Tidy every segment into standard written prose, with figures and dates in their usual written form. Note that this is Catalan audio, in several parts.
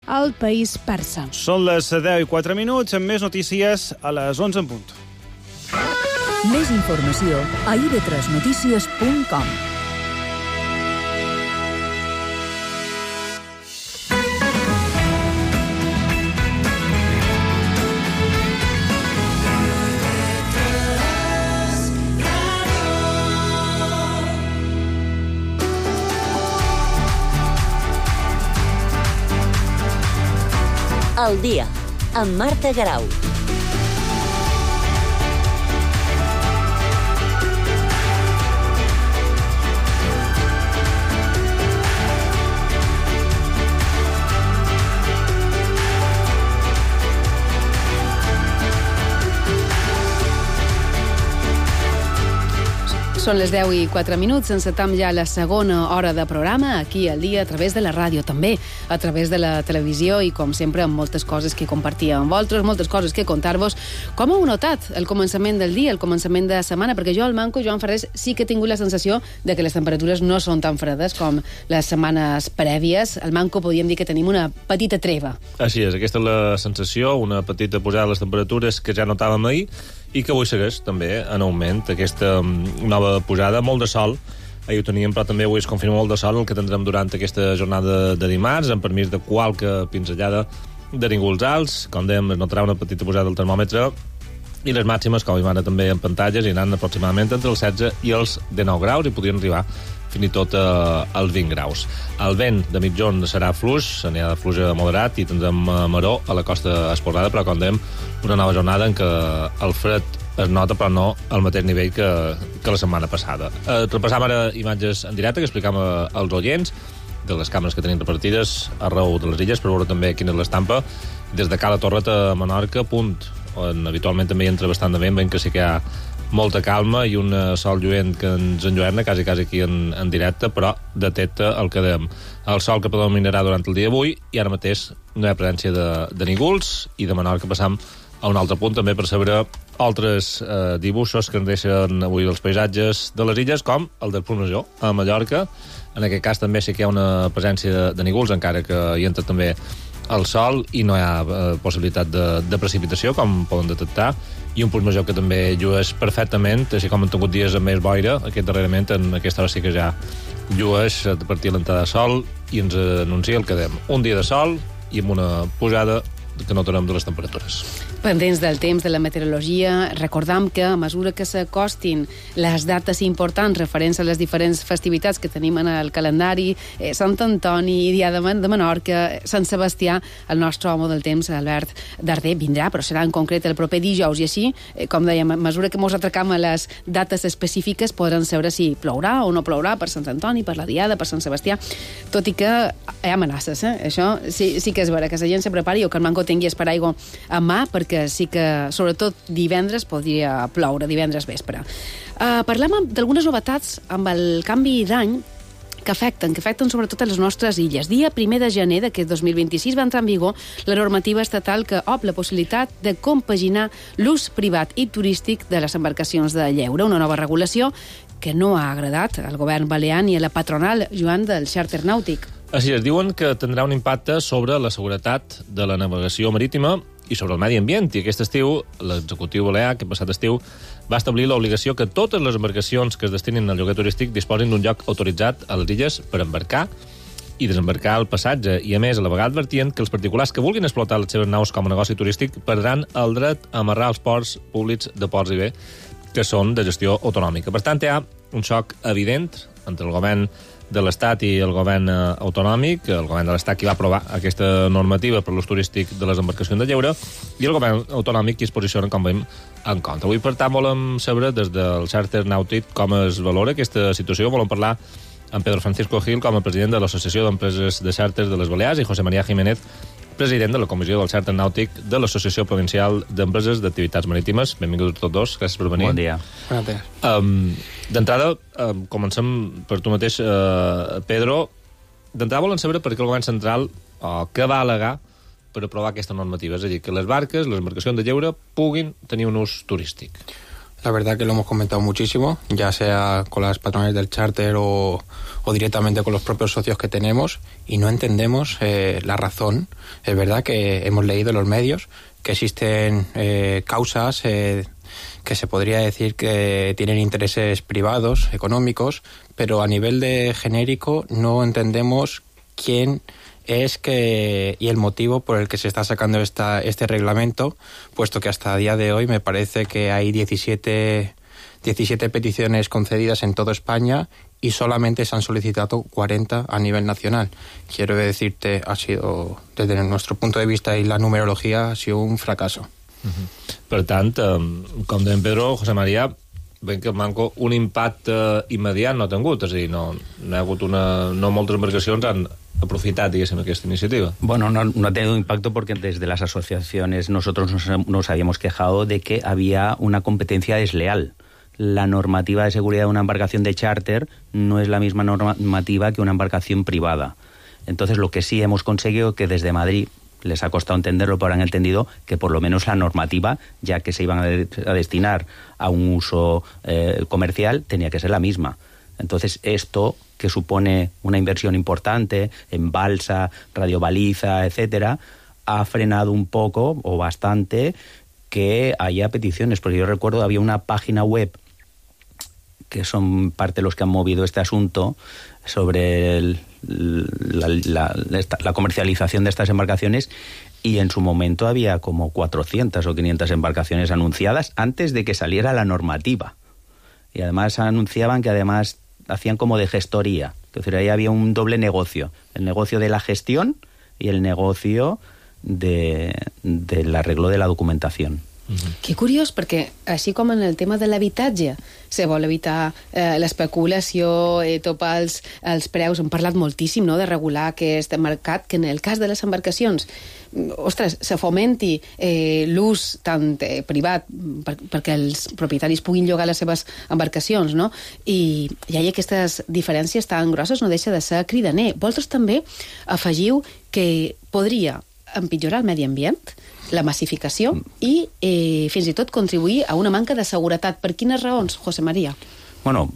al país persa. Són les 10:04, amb més notícies a les 11 en punt. Més informació a ib3notícies.com. Al dia, amb Marta Garau. Són les 10:04, encetam ja la segona hora de programa, aquí al dia, a través de la ràdio, també a través de la televisió i, com sempre, amb moltes coses que compartir amb vosaltres, moltes coses que contar-vos. Com heu notat el començament del dia, el començament de setmana? Perquè jo, al Manco, Joan Ferrés, sí que he tingut la sensació de que les temperatures no són tan fredes com les setmanes prèvies. Al Manco podríem dir que tenim una petita treva. Així és, aquesta és la sensació, una petita pujada de les temperatures que ja notàvem ahir, i que avui segueix també en augment aquesta nova pujada, molt de sol. Ahir ho teníem, però també avui es confirma molt de sol el que tindrem durant aquesta jornada de dimarts, amb permís de qualque pinzellada de nígols alts. Com dèiem, es notarà una petita pujada del termòmetre, i les màximes, com veiem ara també en pantalles, iran aproximadament entre els 16 i els 19 graus, i podrien arribar fins i tot als 20 graus. El vent de mitjorn serà fluix, anirà de fluix a moderat, i tindrem maró a la costa esporada, però com dèiem, una nova jornada en què el fred es nota, però no al mateix nivell que la setmana passada. Repassam ara imatges en directe que explicam als oients de les càmeres que tenim repartides arreu de les illes, per veure també quina és l'estampa des de Cala Torret a Menorca, punt on habitualment també hi entra bastant de vent, veiem que sí que hi ha molta calma i un sol lluent que ens enlluerna quasi aquí en directe, però detecta el que dèiem, el sol que predominarà durant el dia d'avui, i ara mateix no hi ha presència de nígols. I de Menorca passam a un altre punt també per saber altres dibuixos que ens deixen avui els paisatges de les illes, com el del Punt Major a Mallorca. En aquest cas també sí que hi ha una presència de nígols, encara que hi entra també el sol, i no hi ha possibilitat de precipitació, com poden detectar, i un Punt Major que també llueix perfectament, així com han tingut dies amb més boira, aquest darrerament, en aquesta hora sí que ja llueix a partir de l'entrada de sol, i ens anuncia el que dèiem, un dia de sol i amb una pujada que notarem de les temperatures. Pendents del temps, de la meteorologia, recordam que a mesura que s'acostin les dates importants referents a les diferents festivitats que tenim en el calendari, Sant Antoni, Dia de Menorca, Sant Sebastià, el nostre home del temps, Albert Darder, vindrà, però serà en concret el proper dijous, i així, com dèiem, a mesura que ens atracam a les dates específiques, podran saber si plourà o no plourà per Sant Antoni, per la Diada, per Sant Sebastià, tot i que hi ha amenaces, això sí que és vera, que la gent se prepari o que el Manco tingui esparaigua a mà, perquè sí que, sobretot divendres, podria ploure, divendres vespre. Parlem d'algunes novetats amb el canvi d'any que afecten sobretot a les nostres illes. Dia 1 de gener d'aquest 2026 va entrar en vigor la normativa estatal que obre la possibilitat de compaginar l'ús privat i turístic de les embarcacions de lleure, una nova regulació que no ha agradat al govern balear ni a la patronal, Joan, del xàrter nàutic. Així es, diuen que tindrà un impacte sobre la seguretat de la navegació marítima i sobre el medi ambient, i aquest estiu l'executiu balear, aquest passat estiu, va establir l'obligació que totes les embarcacions que es destinin al lloguer turístic disposin d'un lloc autoritzat a les illes per embarcar i desembarcar el passatge, i a més a la vegada advertien que els particulars que vulguin explotar les seves naus com a negoci turístic perdran el dret a amarrar els ports públics de Ports i Bé, que són de gestió autonòmica. Per tant, hi ha un xoc evident entre el govern de l'Estat i el govern autonòmic, el govern de l'Estat qui va aprovar aquesta normativa per l'ús turístic de les embarcacions de lleure, i el govern autonòmic qui es posiciona, com veiem, en contra. Avui, per tant, volem saber des del xàrter nàutic com es valora aquesta situació. Volem parlar amb Pedro Francisco Gil, com a president de l'Associació d'Empreses de Xàrters de les Balears, i José María Jiménez, president de la Comissió del Xàrter Nàutic de l'Associació Provincial d'Empreses d'Activitats Marítimes. Benvinguts tots dos, gràcies per venir. Bon dia. Bon dia. D'entrada, comencem per tu mateix, Pedro. D'entrada volen saber per què el govern central, què va al·legar per aprovar aquesta normativa, és a dir, que les barques, les embarcacions de lleure, puguin tenir un ús turístic. La verdad que lo hemos comentado muchísimo, ya sea con las patronales del charter o directamente con los propios socios que tenemos, y no entendemos la razón. Es verdad que hemos leído en los medios que existen causas que se podría decir que tienen intereses privados, económicos, pero a nivel de genérico no entendemos quién es y el motivo por el que se está sacando este reglamento, puesto que hasta el día de hoy me parece que hay 17 peticiones concedidas en toda España y solamente se han solicitado 40 a nivel nacional. Quiero decirte, ha sido, desde nuestro punto de vista y la numerología, ha sido un fracaso. Per tant, com deia Pedro, José María, ben que manco un impacte immediat no ha tingut, és a dir, no ha hagut no moltes embarcacions han aprofitat, diguéssim, aquesta iniciativa. Bueno, no ha tenido impacto porque desde las asociaciones nosotros nos habíamos quejado de que había una competencia desleal. La normativa de seguridad de una embarcación de charter no es la misma normativa que una embarcación privada. Entonces, lo que sí hemos conseguido que desde Madrid, les ha costado entenderlo, pero han entendido que por lo menos la normativa, ya que se iban a destinar a un uso comercial, tenía que ser la misma. Entonces, esto, que supone una inversión importante en balsa, radiobaliza, etcétera, ha frenado un poco o bastante que haya peticiones. Porque yo recuerdo, había una página web que son parte de los que han movido este asunto sobre la comercialización de estas embarcaciones, y en su momento había como 400 o 500 embarcaciones anunciadas antes de que saliera la normativa. Y además anunciaban que además hacían como de gestoría. Es decir, ahí había un doble negocio. El negocio de la gestión y el negocio del arreglo de la documentación. Que curiós, perquè així com en el tema de l'habitatge se vol evitar l'especulació, topar els preus, hem parlat moltíssim, no?, de regular aquest mercat, que en el cas de les embarcacions, ostres, se fomenti l'ús tant privat perquè els propietaris puguin llogar les seves embarcacions, no?, i hi ha aquestes diferències tan grosses, no deixa de ser cridaner. Vosaltres també afegiu que podria empitjorar el medi ambient, la massificació i fins i tot contribuir a una manca de seguretat. Per quines raons, José María? Bueno,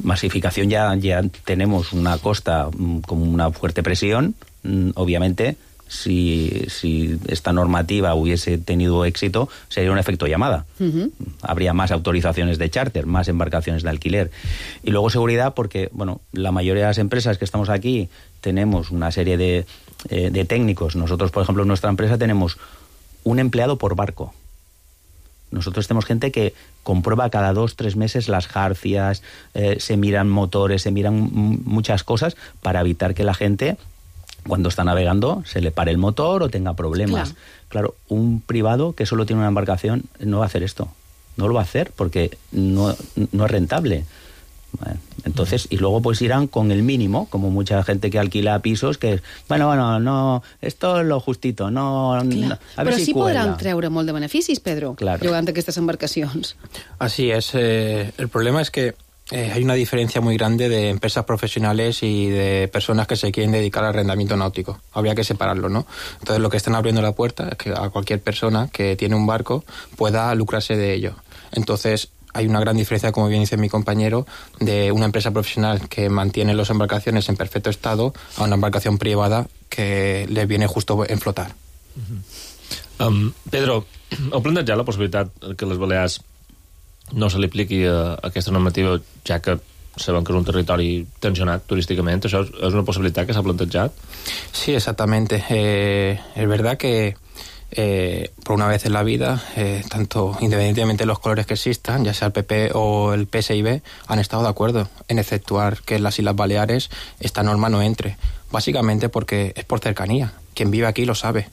masificación ya tenemos una costa con una fuerte presión. Obviamente, si esta normativa hubiese tenido éxito, sería un efecto llamada. Habría más autorizaciones de charter, más embarcaciones de alquiler. Y luego seguridad, porque bueno, la mayoría de las empresas que estamos aquí tenemos una serie de técnicos. Nosotros, por ejemplo, en nuestra empresa tenemos un empleado por barco. Nosotros tenemos gente que comprueba cada 2-3 meses las jarcias, se miran motores, se miran muchas cosas para evitar que la gente, cuando está navegando, se le pare el motor o tenga problemas. Claro, un privado que solo tiene una embarcación no va a hacer esto. No lo va a hacer porque no es rentable. Entonces, y luego pues irán con el mínimo, como mucha gente que alquila pisos, que bueno, no, esto es lo justito, no, a ver. Però si sí cuela. podran treure molt de beneficis, Pedro, llogant aquestes embarcacions. Así es. El problema es que hay una diferencia muy grande de empresas profesionales y de personas que se quieren dedicar al arrendamiento náutico. Habría que separarlo, ¿no? Entonces, lo que están abriendo la puerta es que a cualquier persona que tiene un barco pueda lucrarse de ello. Entonces, hay una gran diferencia, como bien dice mi compañero, de una empresa profesional que mantiene las embarcaciones en perfecto estado a una embarcación privada que le viene justo en flotar. Pedro, heu plantejat la possibilitat que a les Balears no se li apliqui aquesta normativa, ja que sabem que és un territori tensionat turísticament? ¿Això és una possibilitat que s'ha plantejat? Sí, exactamente. Es verdad que por una vez en la vida, tanto independientemente de los colores que existan, ya sea el PP o el PSIB, han estado de acuerdo en efectuar que en las Islas Baleares esta norma no entre. Básicamente porque es por cercanía. Quien vive aquí lo sabe.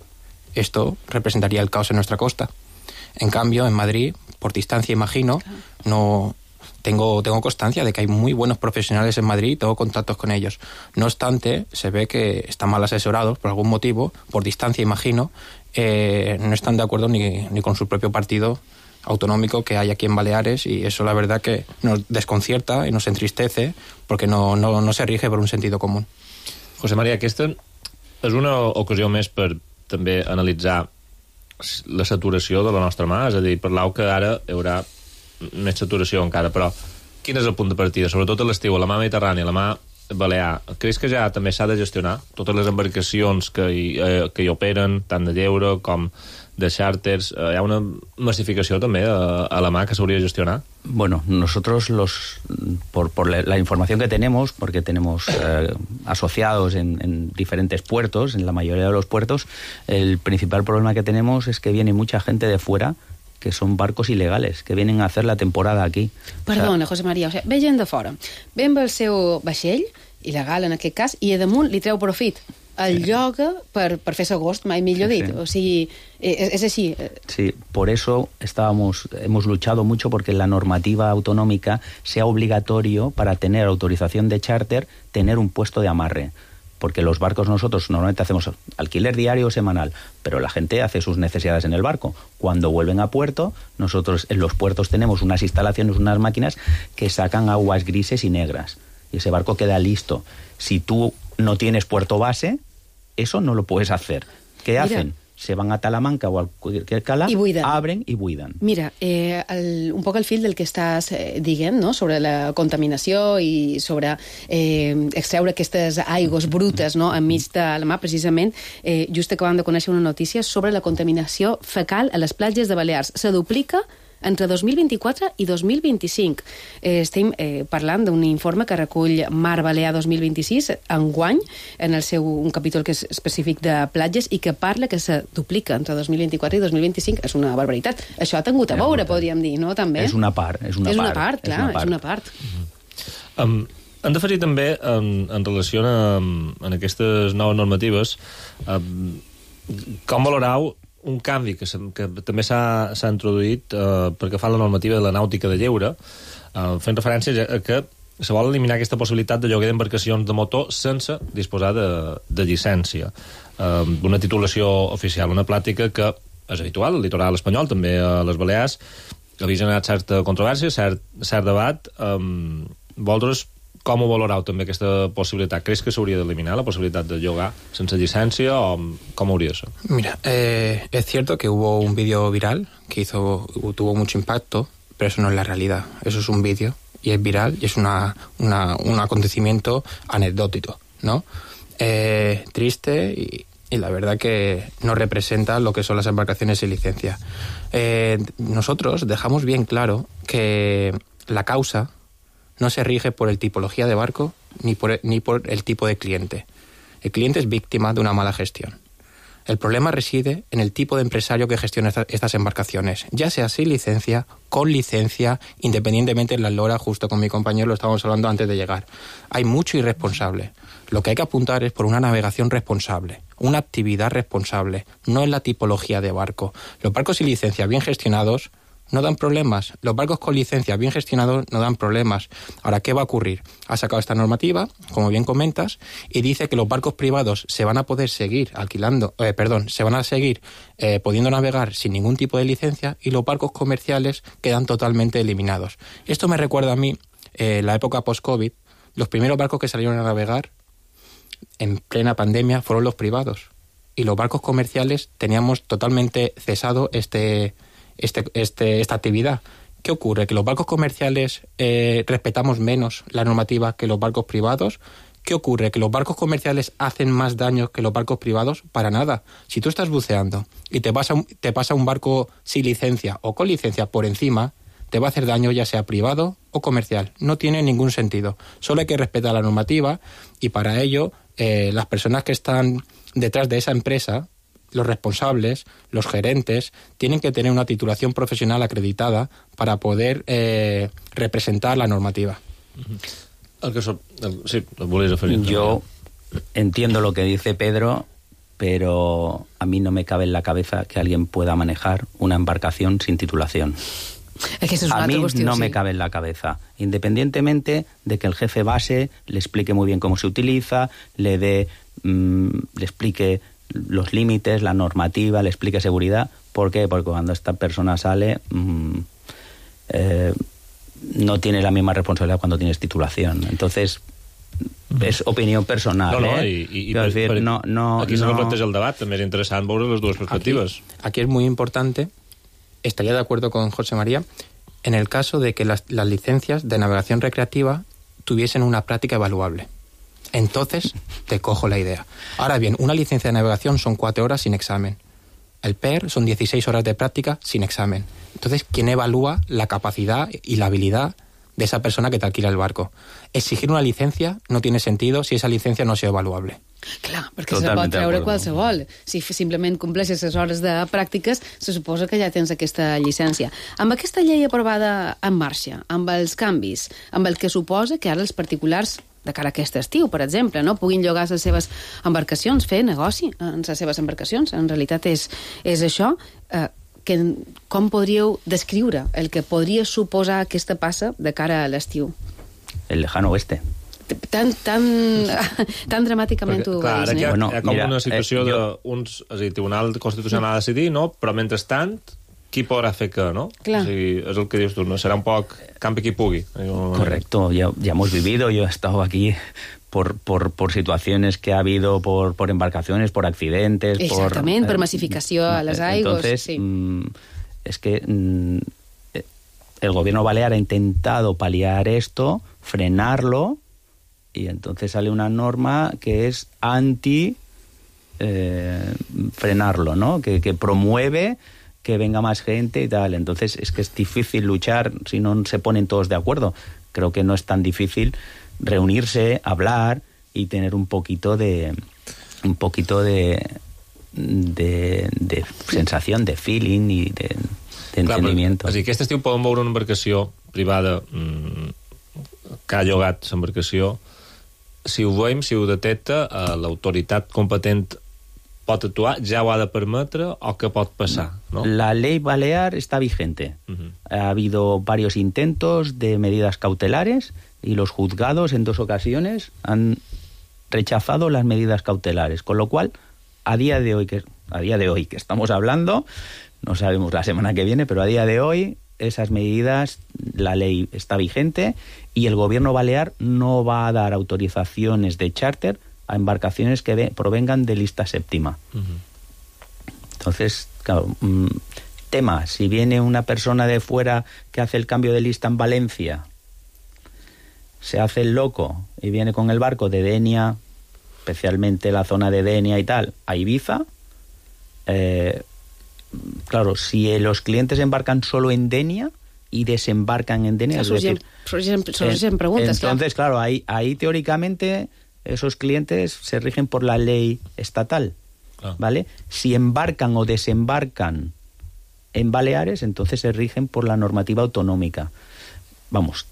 Esto representaría el caos en nuestra costa. En cambio, en Madrid, por distancia, imagino, no tengo constancia de que hay muy buenos profesionales en Madrid y tengo contactos con ellos. No obstante, se ve que están mal asesorados por algún motivo, por distancia, imagino, no están de acuerdo ni con su propio partido autonómico que hay aquí en Baleares, y eso la verdad que nos desconcierta y nos entristece porque no se rige por un sentido común. José María, aquesta és una ocasió més per també analitzar la saturació de la nostra mà, és a dir, parlau que ara hi haurà més saturació encara, però quin és el punt de partida? Sobretot a l'estiu, a la mà Mediterrània, a la mà Balear, creus que ja també s'ha de gestionar totes les embarcacions que hi operen, tant de lleure com de charters? Hi ha una massificació també a la mà que s'hauria de gestionar? Bueno, nosotros por la información que tenemos, porque tenemos asociados en diferentes puertos, en la mayoría de los puertos, el principal problema que tenemos es que viene mucha gente de fuera, que són barcos il·legals, que vienen a hacer la temporada aquí. Perdona, José María, ve gent de fora, ve amb el seu vaixell, il·legal en aquest cas, i a damunt li treu profit. El lloga per fer agost, mai millor dit. O sigui, és així. Sí, por eso hemos luchado mucho porque la normativa autonómica sea obligatorio para tener autorización de charter, tener un puesto de amarre. Porque los barcos nosotros normalmente hacemos alquiler diario o semanal, pero la gente hace sus necesidades en el barco. Cuando vuelven a puerto, nosotros en los puertos tenemos unas instalaciones, unas máquinas que sacan aguas grises y negras. Y ese barco queda listo. Si tú no tienes puerto base, eso no lo puedes hacer. ¿Qué hacen? Se van a Talamanca o a cualquier cala, abren i buiden. Mira, un poc el fil del que estàs dient, no?, sobre la contaminació i sobre extreure aquestes aigües brutes, no?, enmig de la mar, precisament, just acabant de conèixer una notícia sobre la contaminació fecal a les platges de Balears. Se duplica entre 2024 i 2025. Estem parlant d'un informe que recull Mar Balear 2026, enguany, en el seu un capítol que és específic de platges i que parla que se duplica entre 2024 i 2025. És una barbaritat. Això ha tingut a veure, podríem dir, no?, també. És una part. És una part. Hem d'afegir també, en relació amb aquestes noves normatives, com valorau un canvi que també s'ha introduït perquè fa la normativa de la nàutica de lleure, fent referència a que se vol eliminar aquesta possibilitat de lloguer d'embarcacions de motor sense disposar de llicència, d'una titulació oficial, una pràctica que és habitual al litoral espanyol, també a les Balears, que havia generat certa controvèrsia, cert debat. Vosaltres com ho valorau també aquesta possibilitat? Creus que s'hauria d'eliminar la possibilitat de llogar sense llicència o com hauria de ser? Mira, es cierto que hubo un vídeo viral que tuvo mucho impacto, pero eso no es la realidad. Eso es un vídeo y es viral y es un acontecimiento anecdótico, ¿no? Triste y la verdad que no representa lo que son las embarcaciones sin licencia. Nosotros dejamos bien claro que la causa no se rige por el tipología de barco ni por el tipo de cliente. El cliente es víctima de una mala gestión. El problema reside en el tipo de empresario que gestiona estas embarcaciones, ya sea sin licencia, con licencia, independientemente de la eslora. Justo con mi compañero lo estábamos hablando antes de llegar. Hay mucho irresponsable. Lo que hay que apuntar es por una navegación responsable, una actividad responsable, no en la tipología de barco. Los barcos sin licencia bien gestionados no dan problemas. Los barcos con licencia bien gestionados no dan problemas. Ahora, ¿qué va a ocurrir? Ha sacado esta normativa, como bien comentas, y dice que los barcos privados se van a poder seguir pudiendo navegar sin ningún tipo de licencia, y los barcos comerciales quedan totalmente eliminados. Esto me recuerda a mí la época post-COVID. Los primeros barcos que salieron a navegar en plena pandemia fueron los privados, y los barcos comerciales teníamos totalmente cesado esta actividad. ¿Qué ocurre? ¿Que los barcos comerciales respetamos menos la normativa que los barcos privados? ¿Qué ocurre? ¿Que los barcos comerciales hacen más daño que los barcos privados? Para nada. Si tú estás buceando y te pasa un barco sin licencia o con licencia por encima, te va a hacer daño, ya sea privado o comercial. No tiene ningún sentido. Solo hay que respetar la normativa, y para ello las personas que están detrás de esa empresa, los responsables, los gerentes, tienen que tener una titulación profesional acreditada para poder representar la normativa. Yo entiendo lo que dice Pedro, pero a mí no me cabe en la cabeza que alguien pueda manejar una embarcación sin titulación. A mí no me cabe en la cabeza, independientemente de que el jefe base le explique muy bien cómo se utiliza, le explique los límites, la normativa, le explique seguridad. ¿Por qué? Porque cuando esta persona sale no tiene la misma responsabilidad cuando tienes titulación. Entonces, és opinió personal. Aquí se planteja el debat, també és interessant veure les dues perspectives. Aquí es muy importante, estaría de acuerdo con José María, en el caso de que las licencias de navegación recreativa tuviesen una práctica evaluable. Entonces te cojo la idea. Ahora bien, una licencia de navegación son 4 horas sin examen. El PER son 16 horas de práctica sin examen. Entonces, ¿quién evalúa la capacidad y la habilidad de esa persona que te alquila el barco? Exigir una licencia no tiene sentido si esa licencia no sea evaluable. Clar, perquè se pot treure qualsevol. Si simplement compleixes les hores de pràctiques, se suposa que ja tens aquesta llicència. Amb aquesta llei aprovada en marxa, amb els canvis, amb el que suposa que ara els particulars de cara a aquest estiu, per exemple, no puguin llogar les seves embarcacions, fer negoci en les seves embarcacions. En realitat és això. Com podríeu descriure el que podria suposar aquesta passa de cara a l'estiu? El lejano oeste. Tan dramàticament ho clar, veus, hi ha com una situació d'uns... És a dir, el Tribunal Constitucional ha de decidir, no? Però mentrestant, qui podrà fer què, no? Clar. O sigui, és el que dius tu, no? Serà un poc campi qui pugui. Correcto, ya hemos vivido, yo he estado aquí por situaciones que ha habido por embarcaciones, por accidentes... Exactament, per massificació a les aigües. Entonces, sí. Es que el gobierno balear ha intentado paliar esto, frenarlo, y entonces sale una norma que es anti frenarlo, ¿no? Que promueve que venga más gente y tal. Entonces es que es difícil luchar si no se ponen todos de acuerdo. Creo que no es tan difícil reunirse, hablar y tener un poquito de sensación, de feeling y de entendimiento. És a dir, aquest estiu poden veure una embarcació privada que ha llogat l'embarcació. Si ho veiem, si ho detecta, l'autoritat competent pot actuar, ja ho ha de permetre o què pot passar, ¿no? La ley balear está vigente. Ha habido varios intentos de medidas cautelares y los juzgados en 2 ocasiones han rechazado las medidas cautelares, con lo cual a día de hoy que estamos hablando, no sabemos la semana que viene, pero a día de hoy esas medidas, la ley está vigente y el gobierno balear no va a dar autorizaciones de charter a embarcaciones que provengan de lista séptima. Entonces, claro, tema, si viene una persona de fuera que hace el cambio de lista en Valencia, se hace el loco y viene con el barco de Denia, especialmente la zona de Denia y tal, a Ibiza, claro, si los clientes embarcan solo en Denia y desembarcan en Denia, surgen preguntas. Entonces, claro, ahí teóricamente esos clientes se rigen por la ley estatal, ¿vale? Si embarcan o desembarcan en Baleares, entonces se rigen por la normativa autonómica. Vamos,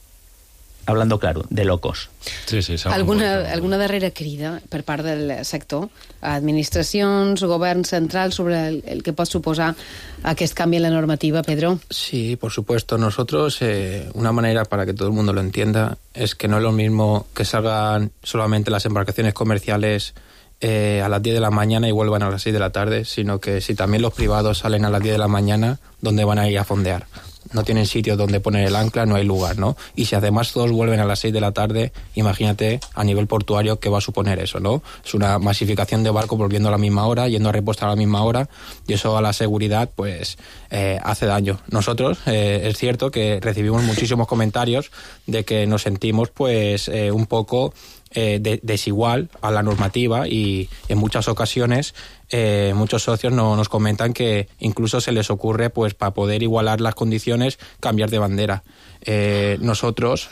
hablando claro, de locos. Sí, Alguna darrera crida per part del sector, administracions, govern central, sobre el que pot suposar aquest canvi en la normativa, Pedro? Sí, por supuesto. Nosotros, una manera para que todo el mundo lo entienda, es que no es lo mismo que salgan solamente las embarcaciones comerciales a las 10 de la mañana y vuelvan a las 6 de la tarde, sino que si también los privados salen a las 10 de la mañana, ¿dónde van a ir a fondear? No tienen sitio donde poner el ancla, no hay lugar, ¿no? Y si además todos vuelven a las 6 de la tarde, imagínate a nivel portuario qué va a suponer eso, ¿no? Es una masificación de barcos volviendo a la misma hora, yendo a repostar a la misma hora, y eso a la seguridad, pues, hace daño. Nosotros, es cierto que recibimos muchísimos comentarios de que nos sentimos, pues, un poco desigual a la normativa, y en muchas ocasiones muchos socios nos comentan que incluso se les ocurre, pues, para poder igualar las condiciones, cambiar de bandera. Nosotros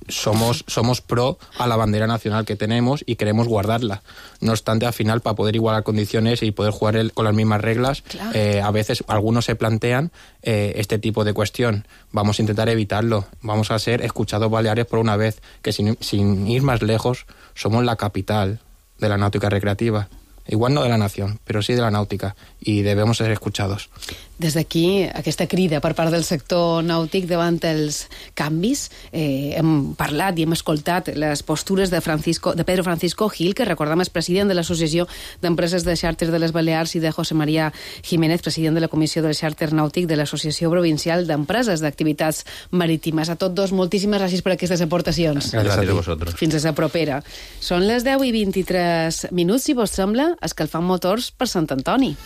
somos pro a la bandera nacional que tenemos y queremos guardarla. No obstante, al final, para poder igualar condiciones y poder jugar con las mismas reglas, claro, a veces algunos se plantean este tipo de cuestión. Vamos a intentar evitarlo. Vamos a ser escuchados Baleares por una vez, que sin ir más lejos, somos la capital de la náutica recreativa. Igual no de la nació, però sí de la nàutica, i devem ser escuchados. Des d'aquí, aquesta crida per part del sector nàutic davant els canvis, hem parlat i hem escoltat les postures de Pedro Francisco Gil, que recordem és president de l'Associació d'Empreses de Xàrter de les Balears, i de José María Jiménez, president de la Comissió del Xàrter Nàutic de l'Associació Provincial d'Empreses d'Activitats Marítimes. A tots dos, moltíssimes gràcies per aquestes aportacions. Gràcies a vosaltres. Fins a la propera. Són les 10:23, si vos sembla, escalfant motors per Sant Antoni.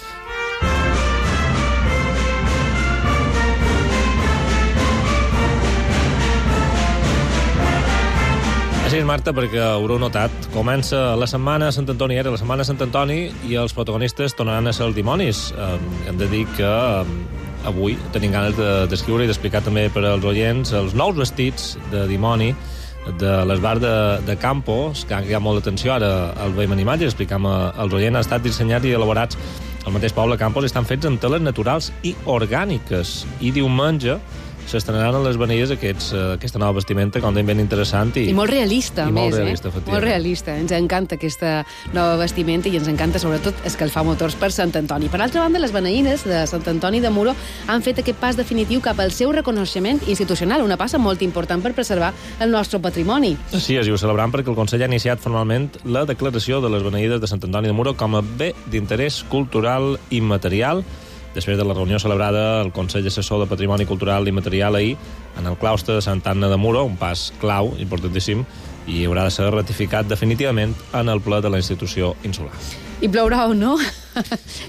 Així és, Marta, perquè haureu notat. Comença la setmana Sant Antoni, la setmana Sant Antoni, i els protagonistes tornaran a ser els dimonis. Hem de dir que avui tenim ganes d'escriure i d'explicar també per als oients els nous vestits de dimoni de l'esbar de Campos, que ha molta atenció ara al veiem en imatge, explicam als oients, han estat dissenyats i elaborats al mateix poble Campos i estan fets amb teles naturals i orgàniques. I diumenge s'estrenaran a les Beneies aquesta nova vestimenta, com ben interessant. I molt realista, a més. Molt realista. Ens encanta aquesta nova vestimenta i ens encanta, sobretot, escalfar motors per Sant Antoni. Per altra banda, les beneïnes de Sant Antoni de Muro han fet aquest pas definitiu cap al seu reconeixement institucional, una passa molt important per preservar el nostre patrimoni. Sí, ho celebrant perquè el Consell ha iniciat formalment la declaració de les beneïdes de Sant Antoni de Muro com a bé d'interès cultural immaterial, després de la reunió celebrada al Consell Assessor de Patrimoni Cultural i Material ahir en el claustre de Santa Anna de Muro, un pas clau, importantíssim, i haurà de ser ratificat definitivament en el ple de la institució insular. I plourà o no?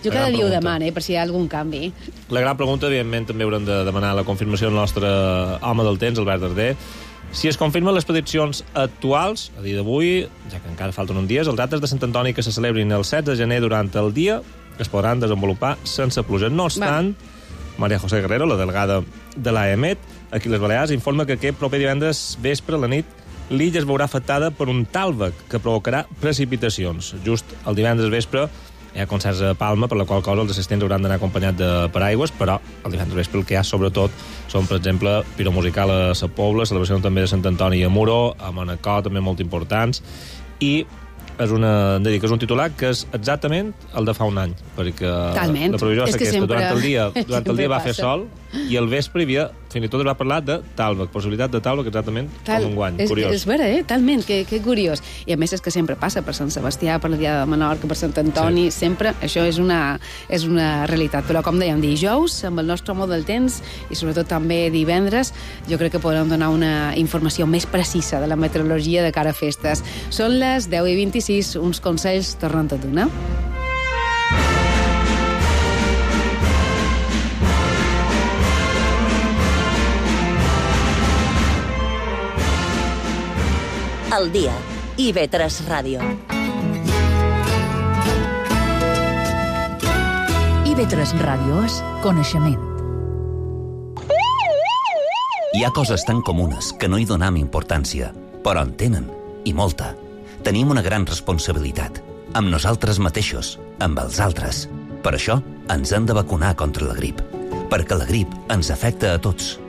Jo cada dia ho demano, per si hi ha algun canvi. La gran pregunta, evidentment, també haurem de demanar la confirmació del nostre home del temps, Albert Darder. Si es confirmen les prediccions actuals, a dia d'avui, ja que encara falten uns dies, els actes de Sant Antoni que se celebrin el 7 de gener durant el dia es podran desenvolupar sense pluja. No obstant, Maria José Guerrero, la delegada de l'AEMET, aquí a les Balears, informa que aquest proper divendres vespre a la nit l'illa es veurà afectada per un tàlvec que provocarà precipitacions. Just el divendres vespre hi ha concerts a Palma, per la qual cosa els assistents hauran d'anar acompanyats de paraigües, però el divendres vespre el que hi ha sobretot són, per exemple, piromusical a Sa Pobla, celebració també de Sant Antoni a Muro, a Manacor, també molt importants, i és un titular que és exactament el de fa un any, perquè Talment. La previsió és aquesta. Sempre, durant el dia va fer sol i al vespre hi havia, fins i tot es va parlar de tàlvec, possibilitat de tàlvec exactament com un guany. Curiós. És vera, talment, que curiós. I a més és que sempre passa per Sant Sebastià, per la Diada de Menorca, per Sant Antoni, sempre això és una realitat. Però com dèiem, dijous, amb el nostre home del temps, i sobretot també divendres, jo crec que podrem donar una informació més precisa de la meteorologia de cara a festes. Són les 10:26, uns consells tornen a donar. Al dia. IB3 Ràdio. IB3 Ràdio és coneixement. Hi ha coses tan comunes que no hi donam importància, però en tenen, i molta. Tenim una gran responsabilitat, amb nosaltres mateixos, amb els altres. Per això ens hem de vacunar contra la grip, perquè la grip ens afecta a tots.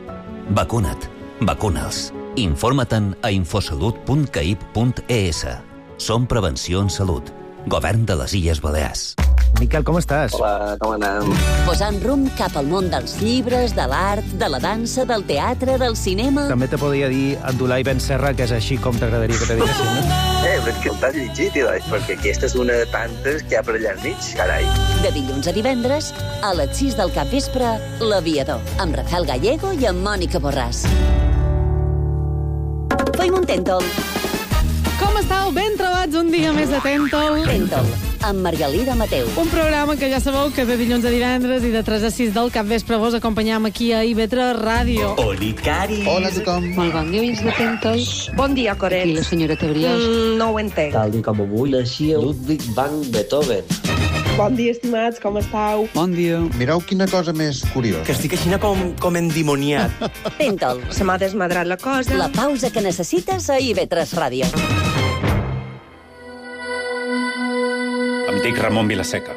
Vacuna't, vacuna'ls. Informa-te'n a infosalut.caip.es. Som Prevenció en Salut. Govern de les Illes Balears. Miquel, com estàs? Hola, com anem? Posant rumb cap al món dels llibres, de l'art, de la dansa, del teatre, del cinema... També te podria dir Abdulai Ben Serra, que és així com t'agradaria que te diguessin, no? Però és que el t'has llegit, perquè aquesta és una de tantes que hi ha per allà al mig, carai. De dilluns a divendres, a les 6 del capvespre, L'Aviador, amb Rafael Gallego i amb Mònica Borràs. Feim un Tèntol. Com estàu? Ben trobats un dia més de Tèntol. Tèntol, amb Margalida Mateu. Un programa que ja sabeu que de dilluns a divendres i de 3 a 6 del capvespre vos acompanyam aquí a IB3 Ràdio. Oli, Cari. Hola a tothom. Molt bon dia, oients de Tèntol. Bon dia, Coret. Aquí la senyora Tebriós. No ho entenc. Tal dia com avui naixia Ludwig van Beethoven. Bon dia, estimats, com estàu? Bon dia. Mireu quina cosa més curiosa. Que estic així com endimoniat. Tèntol. Se m'ha desmadrat la cosa. La pausa que necessites a IB3 Ràdio. Em dic Ramon Vilaseca.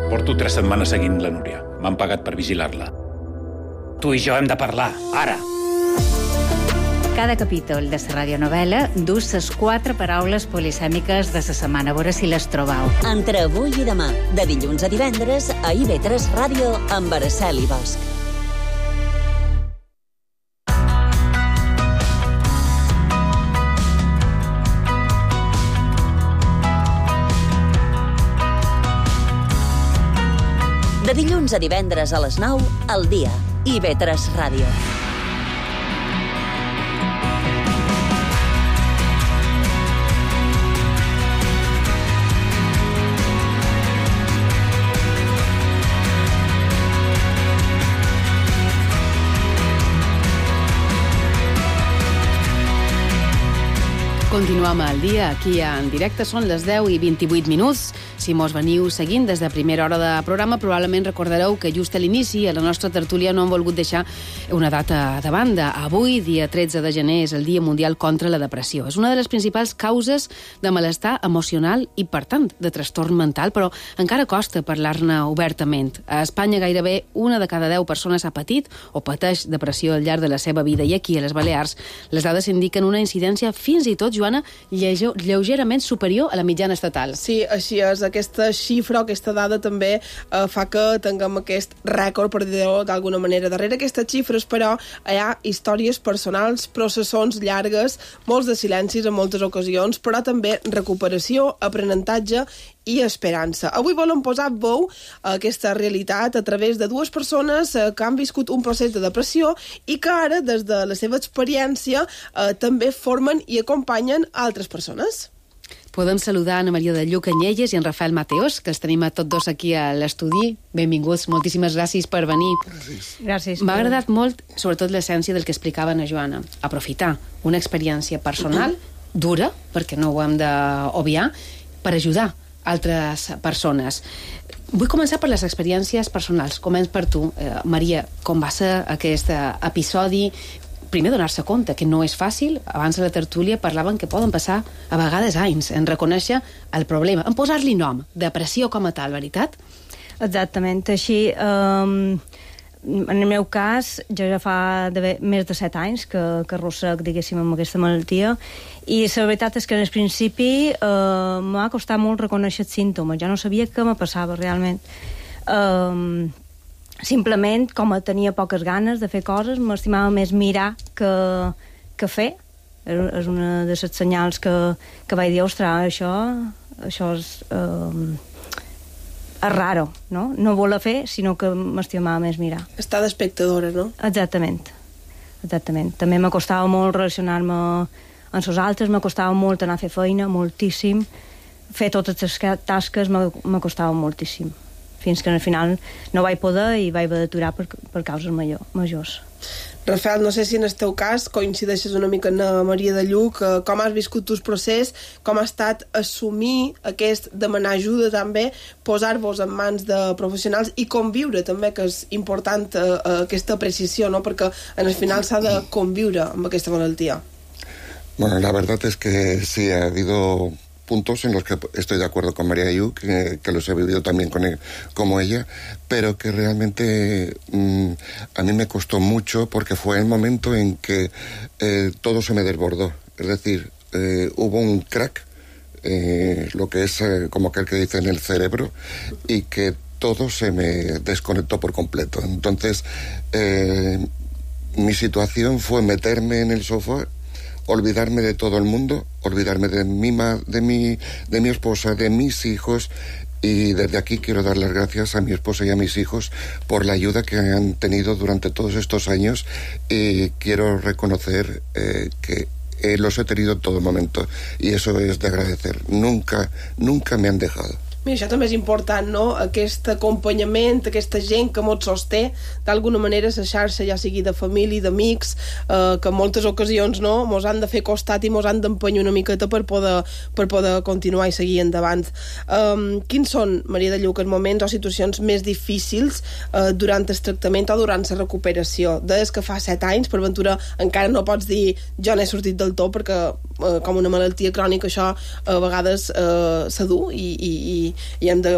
Porto 3 setmanes seguint la Núria. M'han pagat per vigilar-la. Tu i jo hem de parlar, ara. Cada capítol de la radionovel·la dus les 4 paraules polisèmiques de la setmana. A veure si les trobau. Entre avui i demà, de dilluns a divendres, a IB3 Ràdio, amb Araceli Bosch. De dilluns a divendres a les 9, al dia, IB3 Ràdio. Continuem al dia, aquí en directe. Són les 10 i 28 minuts. Si mos veniu seguint des de primera hora de programa, probablement recordareu que just a l'inici, a la nostra tertúlia, no hem volgut deixar una data de banda. Avui, dia 13 de gener, és el Dia Mundial contra la Depressió. És una de les principals causes de malestar emocional i, per tant, de trastorn mental, però encara costa parlar-ne obertament. A Espanya gairebé una de cada 10 persones ha patit o pateix depressió al llarg de la seva vida, i aquí, a les Balears, les dades indiquen una incidència fins i tot, Joana, lleugerament superior a la mitjana estatal. Sí, així és. Aquesta xifra, aquesta dada també fa que tinguem aquest rècord, per dir-ho d'alguna manera. Darrere aquestes xifres, però, hi ha històries personals, processons llargues, molts de silencis en moltes ocasions, però també recuperació, aprenentatge i esperança. Avui volem posar veu a aquesta realitat a través de dues persones que han viscut un procés de depressió i que ara, des de la seva experiència, també formen i acompanyen altres persones. Podem saludar Ana Maria de Lluc Anyelles i en Rafael Mateos, que els tenim a tots dos aquí a l'estudi. Benvinguts, moltíssimes gràcies per venir. Gràcies. M'ha agradat molt, sobretot, l'essència del que explicaven a Joana. Aprofitar una experiència personal, dura, perquè no ho hem d'obviar, per ajudar altres persones. Vull començar per les experiències personals. Començ per tu, Maria. Com va ser aquest episodi? Primer, donar-se compte que no és fàcil. Abans de la tertúlia parlaven que poden passar a vegades anys en reconèixer el problema, en posar-li nom, depressió com a tal, veritat? Exactament. Així, en el meu cas, jo ja fa més de 7 anys que arrossec, diguéssim, amb aquesta malaltia, i la veritat és que en el principi m'ha costat molt reconèixer els símptomes. Jo no sabia què me passava realment. Simplement, com tenia poques ganes de fer coses, m'estimava més mirar que fer. És una de les senyals que vaig dir, ostres, això és raro, no? No voler fer, sinó que m'estimava més mirar. Està d'espectadora, no? Exactament. També me costava molt relacionar-me amb els altres, me costava molt anar a fer feina, moltíssim. Fer totes les tasques me costava moltíssim. Fins que al final no vaig poder i vaig haver d'aturar per causes majors. Rafael, no sé si en el teu cas coincideixes una mica amb la Maria de Lluc, com has viscut tu el procés, com ha estat assumir aquest demanar ajuda també, posar-vos en mans de professionals i conviure també, que és important aquesta precisió, ¿no? Perquè en el final s'ha de conviure amb aquesta malaltia. Bueno, la verdad es que sí, ha habido puntos en los que estoy de acuerdo con María Yu, que los he vivido también como ella, pero que realmente a mí me costó mucho porque fue el momento en que todo se me desbordó. Es decir, hubo un crack, lo que es como aquel que dice en el cerebro, y que todo se me desconectó por completo. Entonces, mi situación fue meterme en el sofá, olvidarme de todo el mundo, olvidarme de mi esposa, de mis hijos, y desde aquí quiero dar las gracias a mi esposa y a mis hijos por la ayuda que han tenido durante todos estos años, y quiero reconocer que los he tenido en todo momento, y eso es de agradecer. Nunca me han dejado. Mira, això també és important, no? Aquest acompanyament, aquesta gent que mos sosté, d'alguna manera, la xarxa, ja sigui de família, d'amics, que en moltes ocasions no, mos han de fer costat i mos han d'empenyar una miqueta per poder continuar i seguir endavant. Quins són, Maria de Lluc, els moments o situacions més difícils durant el tractament o durant la recuperació? Des que fa 7 anys, per ventura, encara no pots dir jo n'he sortit del tot, perquè com una malaltia crònica això a vegades se du i hem de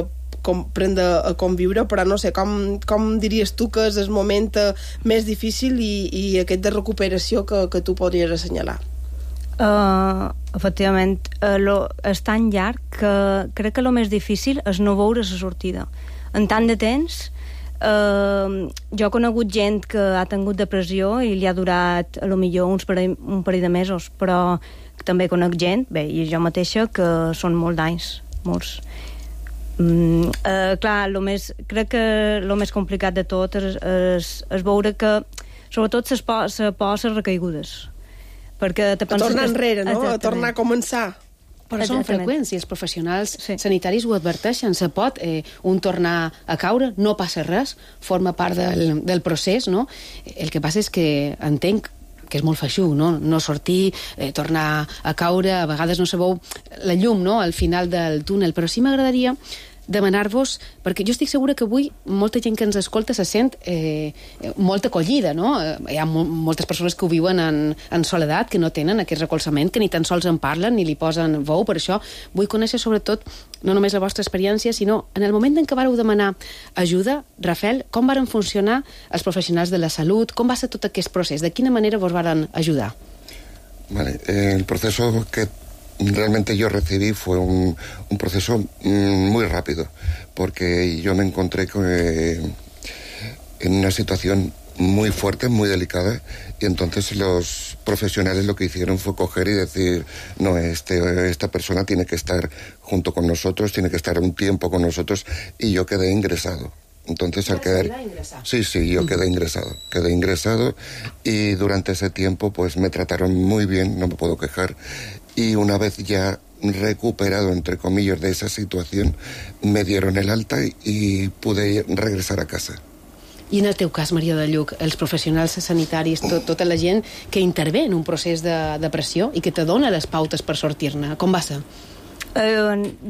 aprendre a conviure, però no sé, com diries tu que és el moment més difícil i aquest de recuperació que tu podries assenyalar? Efectivament, és tan llarg que crec que el més difícil és no veure la sortida. En tant de temps, jo he conegut gent que ha tingut depressió i li ha durat a lo millor un parell de mesos, però també conec gent, bé, i jo mateixa, que són molts d'anys, molts. Clar, crec que el més complicat de tot és veure que sobretot les pors recaigudes, perquè te penses tornar enrere, no? A tornar a començar. Però són freqüents i els professionals sanitaris ho adverteixen. Se pot un tornar a caure, no passa res, forma part del procés, no? El que passa és que entenc que és molt feixuc, no sortir, tornar a caure, a vegades no sabeu la llum, no?, al final del túnel, però sí m'agradaria demanar-vos, perquè jo estic segura que avui molta gent que ens escolta se sent molt acollida, no? Hi ha moltes persones que ho viuen en soledat, que no tenen aquest recolzament, que ni tan sols en parlen ni li posen veu. Per això vull conèixer sobretot no només la vostra experiència, sinó en el moment en què vareu demanar ajuda, Rafael, com varen funcionar els professionals de la salut, com va ser tot aquest procés, de quina manera vos varen ajudar? Vale, el proceso que realmente yo recibí fue un proceso muy rápido, porque yo me encontré en una situación muy fuerte, muy delicada, y entonces los profesionales lo que hicieron fue coger y decir, no, esta persona tiene que estar junto con nosotros, tiene que estar un tiempo con nosotros, y yo quedé ingresado. Entonces al quedar... Sí, yo quedé ingresado y durante ese tiempo pues me trataron muy bien, no me puedo quejar, y una vez ya recuperado, entre comillas, de esa situación, me dieron el alta y pude regresar a casa. I en el teu cas, Maria de Lluc, els professionals sanitaris, tota la gent que intervé en un procés de depressió i que te dona les pautes per sortir-ne, com va ser?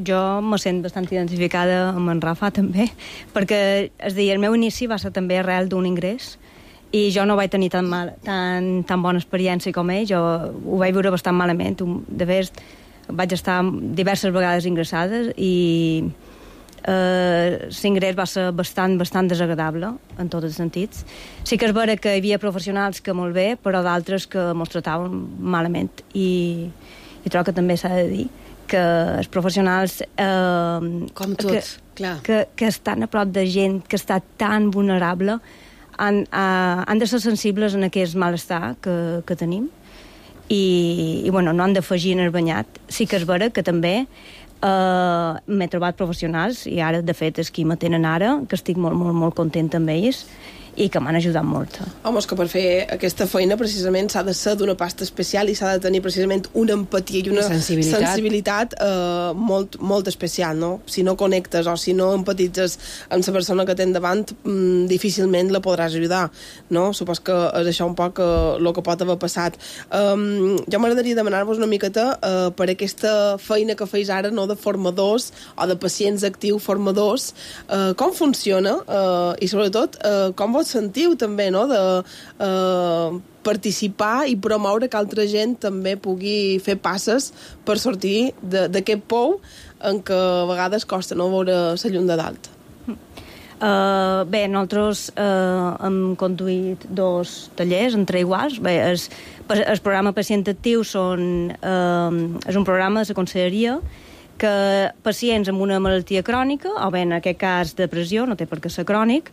Jo me sent bastant identificada amb en Rafa també, perquè el meu inici va ser també arrel d'un ingrés i jo no vaig tenir tan bona experiència com ell, jo ho vaig viure bastant malament. De fet, vaig estar diverses vegades ingressades i l'ingrés va ser bastant desagradable en tots els sentits. Sí que és vera que hi havia professionals que molt bé, però d'altres que mos trataven malament, i trobo que també s'ha de dir que els professionals com tots, clar, que estan a prop de gent que està tan vulnerable han de ser sensibles en aquest malestar que tenim i bueno, no han d'afegir en el banyat. Sí que és vera que també m'he trobat professionals, i ara de fet és qui m'atenen ara, que estic molt contenta amb ells i que m'han ajudat molt. Home, és que per fer aquesta feina precisament s'ha de ser d'una pasta especial i s'ha de tenir precisament una empatia i una sensibilitat molt especial, no? Si no connectes o si no empatitzes amb la persona que tens davant, difícilment la podràs ajudar, no? Supos que és això un poc el que pot haver passat. Jo m'agradaria demanar-vos una miqueta per aquesta feina que feis ara, no, de formadors o de pacients actius formadors, com funciona i sobretot com vos sentiu també, no?, de participar i promoure que altra gent també pugui fer passes per sortir d'aquest pou en què a vegades costa no veure la llum de dalt. Bé, nosaltres hem conduït 2 tallers entre iguals. Bé, el programa Pacient Actiu és un programa de la conselleria que pacients amb una malaltia crònica, o bé en aquest cas depressió, no té per què ser crònic,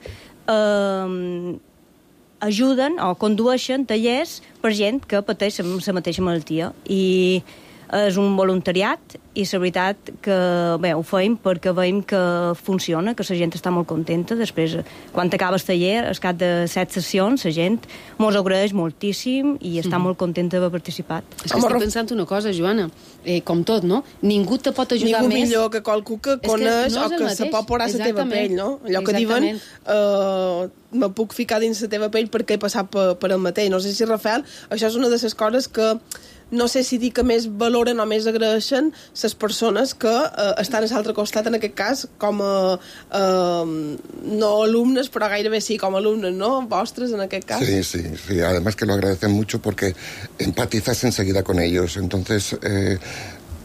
ajuden o condueixen tallers per gent que pateix la mateixa malaltia, i és un voluntariat i la veritat que bé, ho feim perquè veiem que funciona, que la gent està molt contenta. Després, quan acaba el taller, al cap de 7 sessions, la gent mos agraeix moltíssim i està molt contenta d'haver participat. És que estic pensant una cosa, Joana, com tot, no? Ningú te pot ajudar més. Ningú millor que qualcú que coneix o que se pot posar a la teva pell, no? Allò que diuen, me puc ficar dins la teva pell perquè he passat per el mateix. No sé si, Rafael, això és una de les coses que no sé si dir que més valoren o més agraeixen les persones que estan a l'altre costat, en aquest cas, com a no alumnes, però gairebé sí, com a alumnes, ¿no? Vostres, en aquest cas. Sí. Además que lo agradecen mucho porque empatizas enseguida con ellos. Entonces,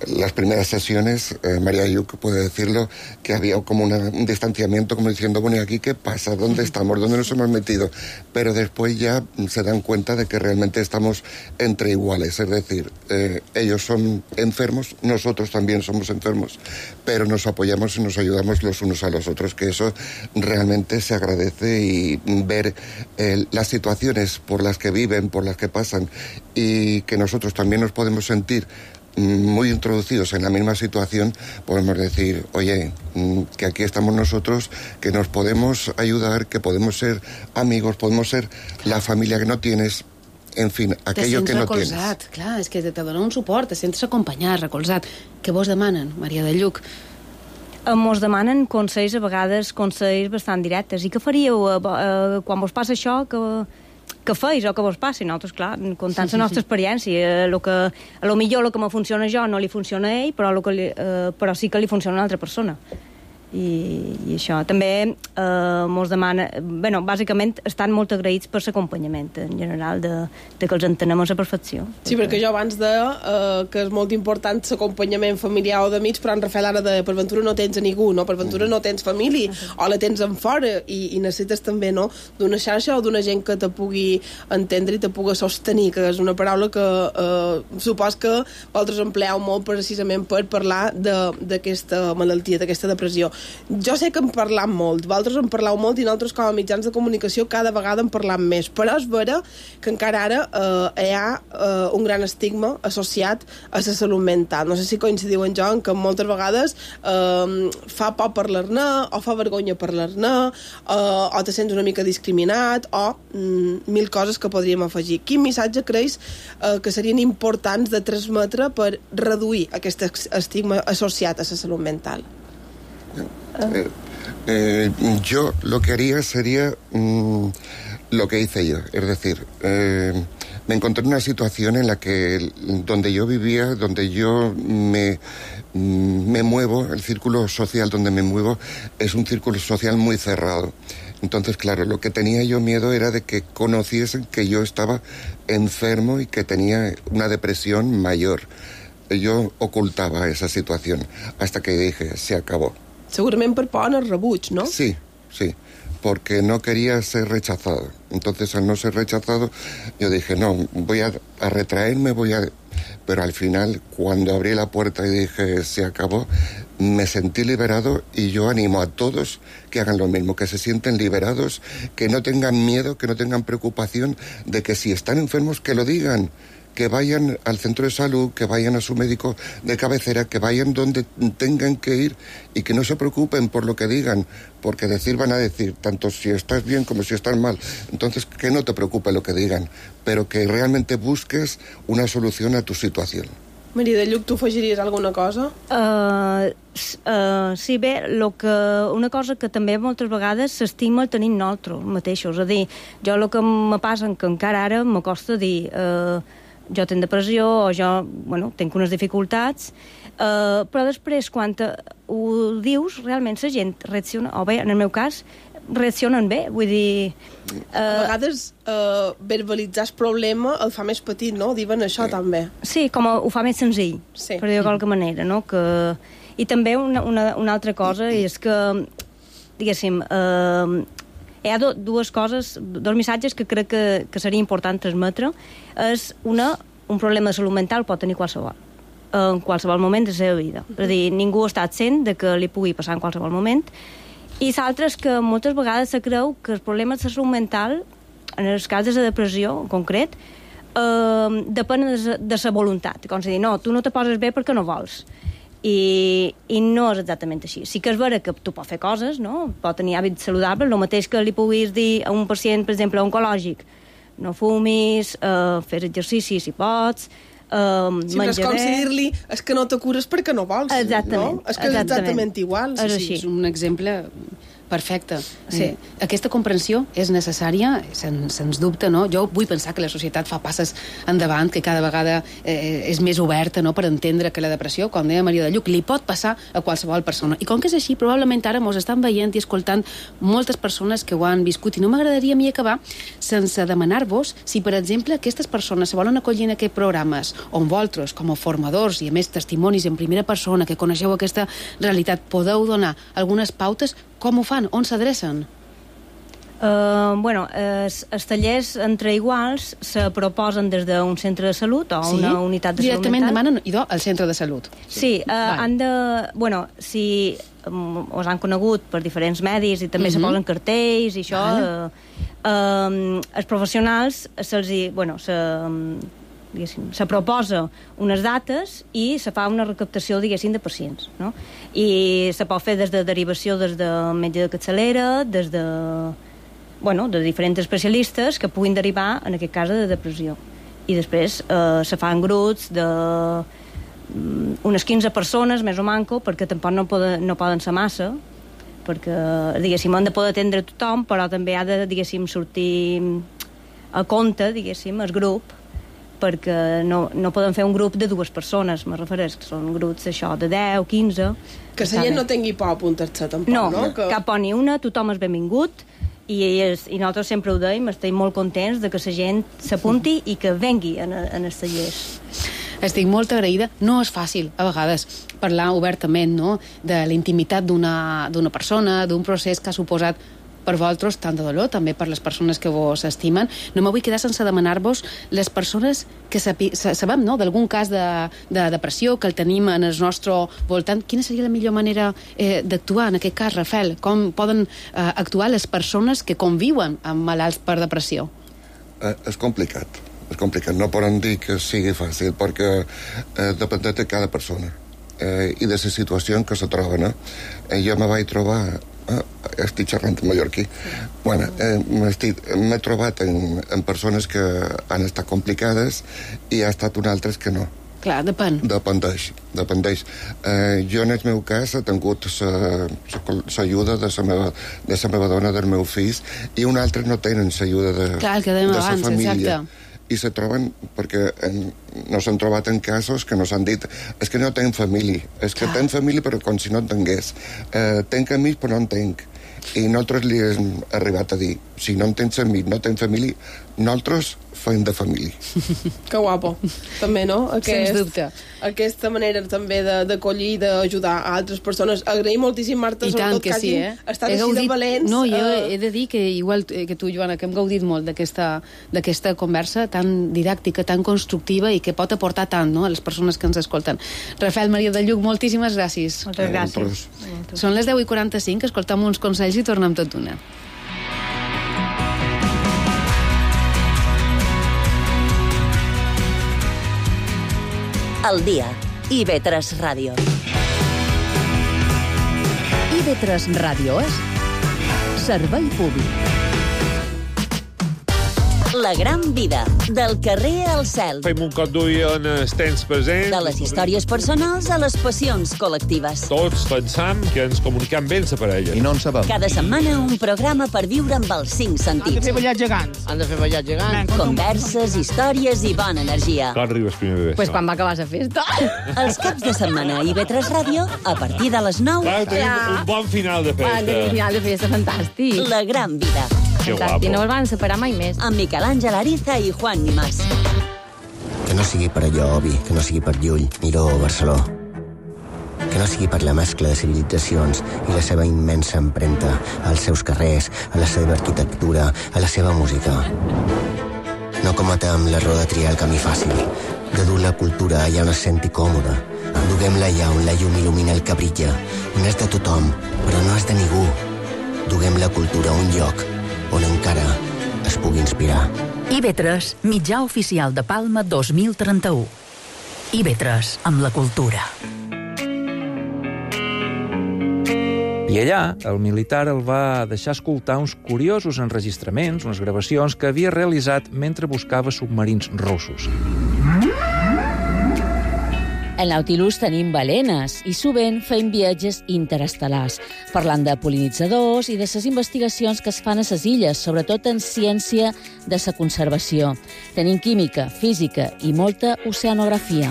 las primeras sesiones, María Ayuk puede decirlo, que había como un distanciamiento, como diciendo, bueno, ¿y aquí qué pasa? ¿Dónde estamos? ¿Dónde nos hemos metido? Pero después ya se dan cuenta de que realmente estamos entre iguales, es decir, ellos son enfermos, nosotros también somos enfermos, pero nos apoyamos y nos ayudamos los unos a los otros, que eso realmente se agradece, y ver las situaciones por las que viven, por las que pasan, y que nosotros también nos podemos sentir muy introducidos en la misma situación, podemos decir, oye, que aquí estamos nosotros, que nos podemos ayudar, que podemos ser amigos, podemos ser la familia que no tienes, en fin, aquello que no tienes. Te sents recolzat, clar, és que te dona un suport, te sents acompanyat, recolzat. Què vos demanen, Maria de Lluc? Mos demanen consells, a vegades consells bastant directes. I què faríeu quan vos passa això, que què feis o què vos passi. Nosaltres, clar, comptant la nostra experiència, a lo millor el que me funciona a jo no li funciona a ell, però sí que li funciona a una altra persona. I això també mos demana, bàsicament estan molt agraïts per l'acompanyament en general, de que els entenem a la perfecció. Sí, perquè jo abans deia que és molt important l'acompanyament familiar o d'amics, però en Rafael ara deia, per ventura no tens a ningú, no? Per ventura no tens família, o la tens en fora, i necessites també, no?, d'una xarxa o d'una gent que te pugui entendre i te pugui sostenir, que és una paraula que supos que vosaltres empleeu molt precisament per parlar d'aquesta malaltia, d'aquesta depressió. Jo sé que en parlam molt, vosaltres en parleu molt i nosaltres com a mitjans de comunicació cada vegada en parlam més, però és vera que encara ara hi ha un gran estigma associat a la salut mental. No sé si coincidiu en jo en que moltes vegades fa por parlar-ne o fa vergonya parlar-ne o te sents una mica discriminat o mil coses que podríem afegir. Quin missatge creus que serien importants de transmetre per reduir aquest estigma associat a la salut mental? Yo lo que haría sería lo que hice yo, es decir, me encontré en una situación en la que donde yo vivía, donde yo me muevo, el círculo social donde me muevo es un círculo social muy cerrado. Entonces, claro, lo que tenía yo miedo era de que conociesen que yo estaba enfermo y que tenía una depresión mayor. Yo ocultaba esa situación hasta que dije, se acabó. Segurament per por al rebuig, ¿no? Sí, porque no quería ser rechazado. Entonces, al no ser rechazado, yo dije, no, voy a retraerme, Pero al final, cuando abrí la puerta y dije, se acabó, me sentí liberado y yo animo a todos que hagan lo mismo, que se sienten liberados, que no tengan miedo, que no tengan preocupación de que si están enfermos, que lo digan. Que vayan al centro de salud, que vayan a su médico de cabecera, que vayan donde tengan que ir y que no se preocupen por lo que digan, porque van a decir, tanto si estás bien como si estás mal. Entonces, que no te preocupe lo que digan, pero que realmente busques una solución a tu situación. Maria de Lluc, tu afegiries alguna cosa? Sí, bé, una cosa que també moltes vegades s'estima tenim nosaltres mateixos. És a dir, jo el que me passa que encara ara m'acosta dir jo tinc depressió o jo, tinc unes dificultats, però després quan ho dius realment la gent reacciona, o bé, en el meu cas reaccionen bé, vull dir... A vegades verbalitzar el problema el fa més petit, no? Diuen això també. Sí, com ho fa més senzill, per dir-ho de qualque manera, no? I també una altra cosa és que, diguéssim, hi ha dues coses, dos missatges que crec que seria important transmetre. És un problema de salut mental pot tenir qualsevol, en qualsevol moment de la seva vida. És a dir, ningú està absent de que li pugui passar en qualsevol moment. I l'altre és que moltes vegades se creu que el problema de la salut mental, en el cas de la depressió en concret, depèn de la voluntat. Com si dir, no, tu no te poses bé perquè no vols. I no és exactament així. Sí que és vera que tu pots fer coses, no? Pot tenir hàbits saludables, el mateix que li puguis dir a un pacient, per exemple, oncològic, no fumis, fes exercici si pots, menjar és com si dir-li, és que no te cures perquè no vols. Exactament. No? És que és exactament igual. És un exemple perfecte. Sí. Aquesta comprensió és necessària, sens dubte, no? Jo vull pensar que la societat fa passes endavant, que cada vegada és més oberta, no?, per entendre que la depressió, com deia Maria de Lluc, li pot passar a qualsevol persona. I com que és així, probablement ara mos estan veient i escoltant moltes persones que ho han viscut, i no m'agradaria a mi acabar sense demanar-vos si, per exemple, aquestes persones se volen acollir en aquests programes on vosaltres, com a formadors i a més testimonis en primera persona que coneixeu aquesta realitat, podeu donar algunes pautes. Com ho fan? On s'adrecen? Els tallers entre iguals se proposen des d'un centre de salut o una unitat de salut mental. Directament demanen, idò, al centre de salut. Sí, han de... si us han conegut per diferents medis i també se posen cartells i això, els professionals se proposa unes dates i se fa una recaptació, diguéssim, de pacients, no? I se pot fer des de derivació, des de metge de capçalera, des de diferents especialistes que puguin derivar, en aquest cas, de depressió. I després se fan grups de unes 15 persones, més o manco, perquè tampoc no poden ser massa, perquè, diguéssim, han de poder atendre tothom, però també ha de, diguéssim, sortir a compte, diguéssim, el grup, perquè no poden fer un grup de 2 persones, me refereix, que són grups això de 10, 15... Que la gent no tingui por a apuntar-se, tampoc, no? No, cap por ni una, tothom és benvingut, i nosaltres sempre ho dèiem, estem molt contents de que la gent s'apunti i que vengui en els tallers. Estic molt agraïda. No és fàcil, a vegades, parlar obertament, no?, de la intimitat d'una persona, d'un procés que ha suposat per vosaltres tant de dolor, també per les persones que vos estimen. No me vull quedar sense demanar-vos les persones que sabem, no?, d'algun cas de depressió que el tenim en el nostre voltant. Quina seria la millor manera d'actuar en aquest cas, Rafael? Com poden actuar les persones que conviuen amb malalts per depressió? És complicat. No poden dir que sigui fàcil, perquè depèn de cada persona i de la situació en què se troba, no? Jo me vaig trobar... estic xerrant en mallorquí. Bueno, m'he trobat en persones que han estat complicades i ha estat un altres que no. Clar, depèn. Dependeix. Jo, en el meu cas, he tingut l'ajuda de la meva dona, del meu fill, i un altre no tenen l'ajuda de la família. Exacte. I se troben, perquè no s'han trobat en casos que no s'han dit és que no tenc família, és que tenc família però com si no en tingués, tenc amics però no en tenc, i nosaltres li hem arribat a dir, si no en tens amics, no tens família, nosaltres fem de família. Que guapo, també, no? Sens dubte. Aquesta manera també d'acollir i d'ajudar a altres persones. Agraïm moltíssim, Marta, sobretot que hagin estat així de valents. No, jo he de dir que, igual que tu, Joana, que hem gaudit molt d'aquesta conversa tan didàctica, tan constructiva i que pot aportar tant, no?, a les persones que ens escolten. Rafael Maria de Lluc, moltíssimes gràcies. Moltes gràcies. Són les 10:45, escoltam uns consells i tornem tot d'una. Al dia, IB3 Ràdio. IB3 Ràdio és servei públic. La gran vida, del carrer al cel. Fem un cop d'ull en els temps presents. De les històries personals a les passions col·lectives. Tots pensam que ens comunicam bé amb la parella. I no en sabem. Cada setmana un programa per viure amb els 5 sentits. Han de fer ballar gegants. Converses, històries i bona energia. Quan arribes primer bebè? Pues quan va acabar la festa. Els caps de setmana a IB3 Ràdio, a partir de les 9. Clar, tenim un bon final de festa. Un final de festa fantàstic. La gran vida. Que guapo. I no els van separar mai més. Amb Miquel Àngel Ariza i Juan Nimás. Que no sigui per allò, Obi, que no sigui per Llull, Miró o Barceló. Que no sigui per la mescla de civilitzacions i la seva immensa empremta als seus carrers, a la seva arquitectura, a la seva música. No cometem l'error de triar el camí fàcil, de dur la cultura allà on es senti còmoda. Duguem-la allà on la llum il·lumina el que brilla, on és de tothom, però no és de ningú. Duguem la cultura a un lloc on encara es pugui inspirar. IB3, mitjà oficial de Palma 2031. IB3, amb la cultura. I allà, el militar el va deixar escoltar uns curiosos enregistraments, unes gravacions que havia realitzat mentre buscava submarins russos. Al Nautilus tenim balenes i sovint fem viatges interestel·lars, parlant de pol·linitzadors i de les investigacions que es fan a les illes, sobretot en ciència de la conservació. Tenim química, física i molta oceanografia.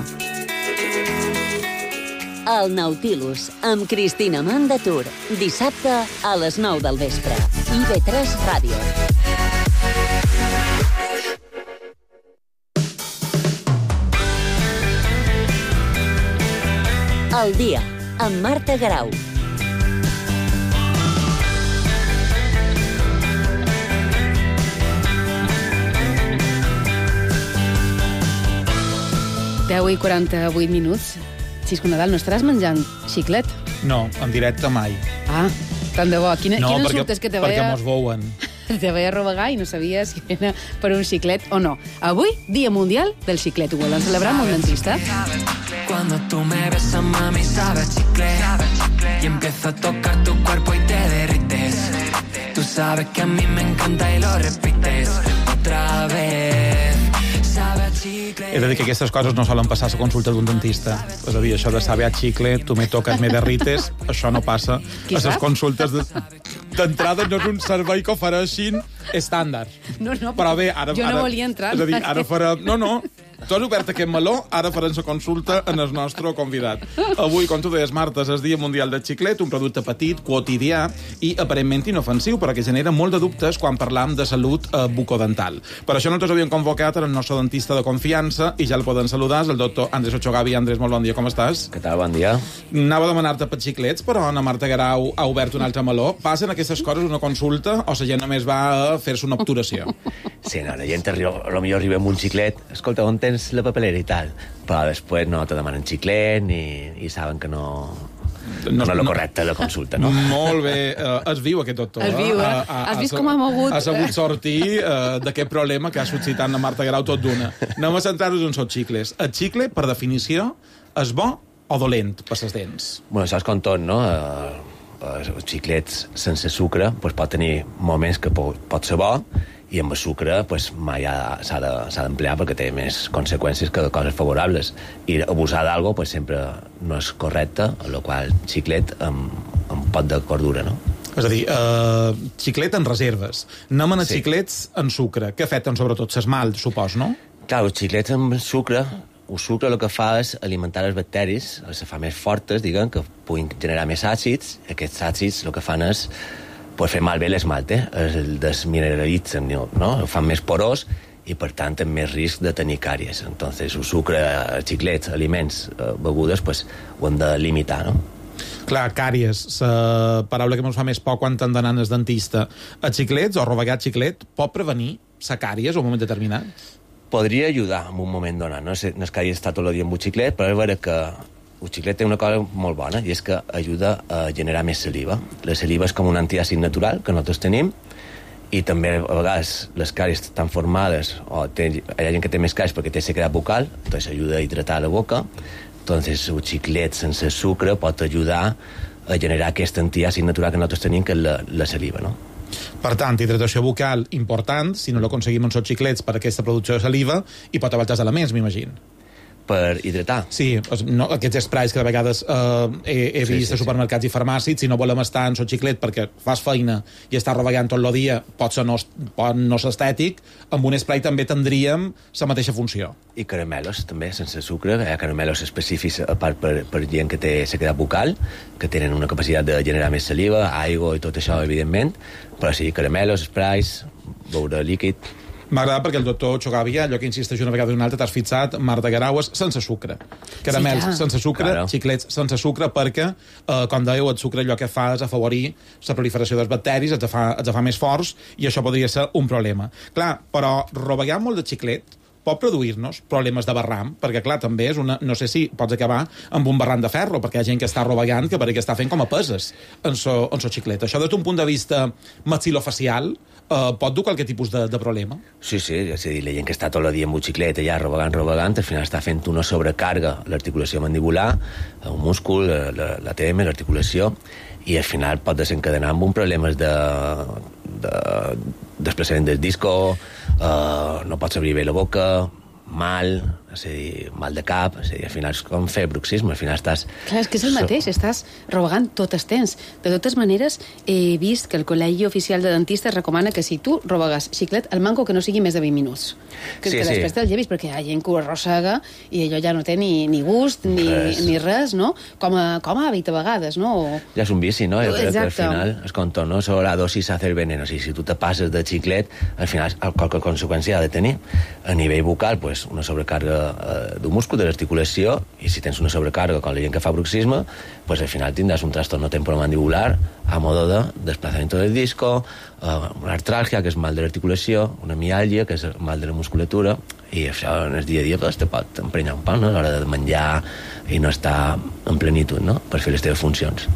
El Nautilus, amb Cristina Mandatur, dissabte a les 9 del vespre. IB3 Ràdio. El dia, amb Marta Garau. Deu i 48 minuts. Xisco Nadal, no estaràs menjant xiclet? No, en directe mai. Ah, tant de bo. Quina sort és que te perquè veia... mos veuen. Te veia rovegar i no sabia si era per un xiclet o no. Avui, Dia Mundial del Xiclet. Ho volen celebrar amb un dentista. Cuando tú me besas, mami, sabe chicle. Y empiezo a tocar tu cuerpo y te derrites. Tú sabes que a mí me encanta y lo repites otra vez. Sabe He de dir que aquestes coses no solen passar a la consulta d'un dentista. És a dir, això de saber a xicle, tu me tocas, me derrites, això no passa a les consultes d'entrada. No és un servei que ofereixin estàndard. No, però bé, ara, jo no volia entrar. És a dir, ara farem... No, tu has obert aquest meló, ara farem la consulta en el nostre convidat. Avui, com tu deies, Marta, és el Dia Mundial del Xiclet, un producte petit, quotidià i aparentment inofensiu, però que genera molt de dubtes quan parlam de salut bucodental. Per això nosaltres havíem convocat el nostre dentista de confiança i ja el poden saludar, és el doctor Andrés Ochogavi. Andrés, molt bon dia, com estàs? Què tal, bon dia. Anava a demanar-te per xiclets, però Ana Marta Guerau ha obert un altre meló. Passen aquestes coses una consulta o la gent només va a fer-se una obturació? Sí, no, la gent potser arriba amb un xiclet, escolta, on tens la papelera i tal, però després no te demanen xiclet i saben que no és el correcte la consulta, no? Molt bé. Es viu, aquest doctor. Es viu, eh? Has vist com ha mogut? Ha sabut sortir d'aquest problema que ha suscitat la Marta Guerau tot d'una. Anem a centrar-nos en els xicles. El xicle, per definició, és bo o dolent per les dents? Bueno, això és com tot, no? Els xiclets sense sucre pot tenir moments que pot ser bo, i amb el sucre mai s'ha d'emplear perquè té més conseqüències que coses favorables. I abusar d'algo sempre no és correcte, amb la qual xiclet amb pot de cordura, no? És a dir, xiclet en reserves. Anem a xiclets en sucre, que afecten sobretot l'esmalt, supos, no? Clar, els xiclets amb sucre, el sucre el que fa és alimentar les bacteris, les fa més fortes, diguem, que puguin generar més àcids. Aquests àcids el que fan és fer malbé l'esmalt, el desmineralitzen, no? El fan més porós i, per tant, amb més risc de tenir càries. Entonces, el sucre, xiclets, aliments, begudes, ho hem de limitar, no? Clar, càries, la paraula que ens fa més por quan t'han d'anar al dentista. Els xiclets, o rovegar xiclet, pot prevenir la càries en un moment determinat? Podria ajudar en un moment donat. No és que hagi estat tot el dia amb un xiclet, però és vera que el xiclet té una cosa molt bona, i és que ajuda a generar més saliva. La saliva és com un antiàcid natural que nosaltres tenim, i també a vegades les càries estan formades, o hi ha gent que té més càries perquè té sequedat bucal, doncs ajuda a hidratar la boca. Entonces el xiclet sense sucre pot ajudar a generar aquest antiàcid natural que nosaltres tenim, que és la saliva, no? Per tant, hidratació bucal important, si no l'aconseguim amb els xiclets per aquesta producció de saliva, i pot haver altres elements, m'imagino. Per hidratar? Sí, aquests sprays que de vegades he vist a supermercats i farmàcies, si no volem estar en el xiclet perquè fas feina i estàs rovegant tot el dia, pot ser no ser estètic, amb un spray també tindríem la mateixa funció. I caramelos, també, sense sucre. Hi ha caramelos específics a part per gent que té sequedat bucal, que tenen una capacitat de generar més saliva, aigua i tot això, evidentment, però sí, caramelos, sprays, beure líquid. M'ha agradat perquè el doctor Ochogavi, allò que insisteix una vegada i una altra, t'has fixat, Marta Guerau, sense sucre. Caramels sense sucre, xiclets sense sucre, perquè, com dèieu, el sucre allò que fa és afavorir la proliferació dels bacteris, els fa més forts, i això podria ser un problema. Clar, però rovegar molt de xiclet pot produir-nos problemes de barram, perquè, clar, també és una... No sé si pots acabar amb un barram de ferro, perquè hi ha gent que està rovegant, que perquè està fent com a peses en so xiclet. Això, des d'un punt de vista maxilofacial, pot dur qualque tipus de problema? Sí, és a dir, la gent que està tot el dia amb un xiclet allà rovegant, al final està fent una sobrecàrega a l'articulació mandibular, el múscul, l'ATM, l'articulació, i al final pot desencadenar amb un problemes de desplaçament del disco, no pots obrir bé la boca, mal, és a dir, mal de cap, és a dir, al final és com fer bruxisme, al final estàs... Clar, és que és el mateix, estàs rovegant tot el temps. De totes maneres, he vist que el Col·legi Oficial de Dentistes recomana que si tu rovegues xiclet, el manco que no sigui més de 20 minuts. Que després te'l llevis, perquè hi ha gent que ho arrossega i allò ja no té ni gust, ni res, no? Com a hàbit a vegades, no? Ja és un vici, no? Exacte. Al final, és com tot, no? Sobre la dosis hace el veneno. O sigui, si tu te passes de xiclet, al final, qualque conseqüència ha de tenir. A nivell bucal, pues, una sobrecàrrega d'un múscul, de l'articulació, i si tens una sobrecàrrega com la gent que fa bruxisme, pues al final tindràs un trastorno temporomandibular a modo de desplazamiento del disco, una artràlgia, que és mal de l'articulació, una miàlgia, que és mal de la musculatura, i això en el dia a dia pues, te pot emprenyar un poc, no? A l'hora de menjar i no estar en plenitud, no? Per fer les teves funcions.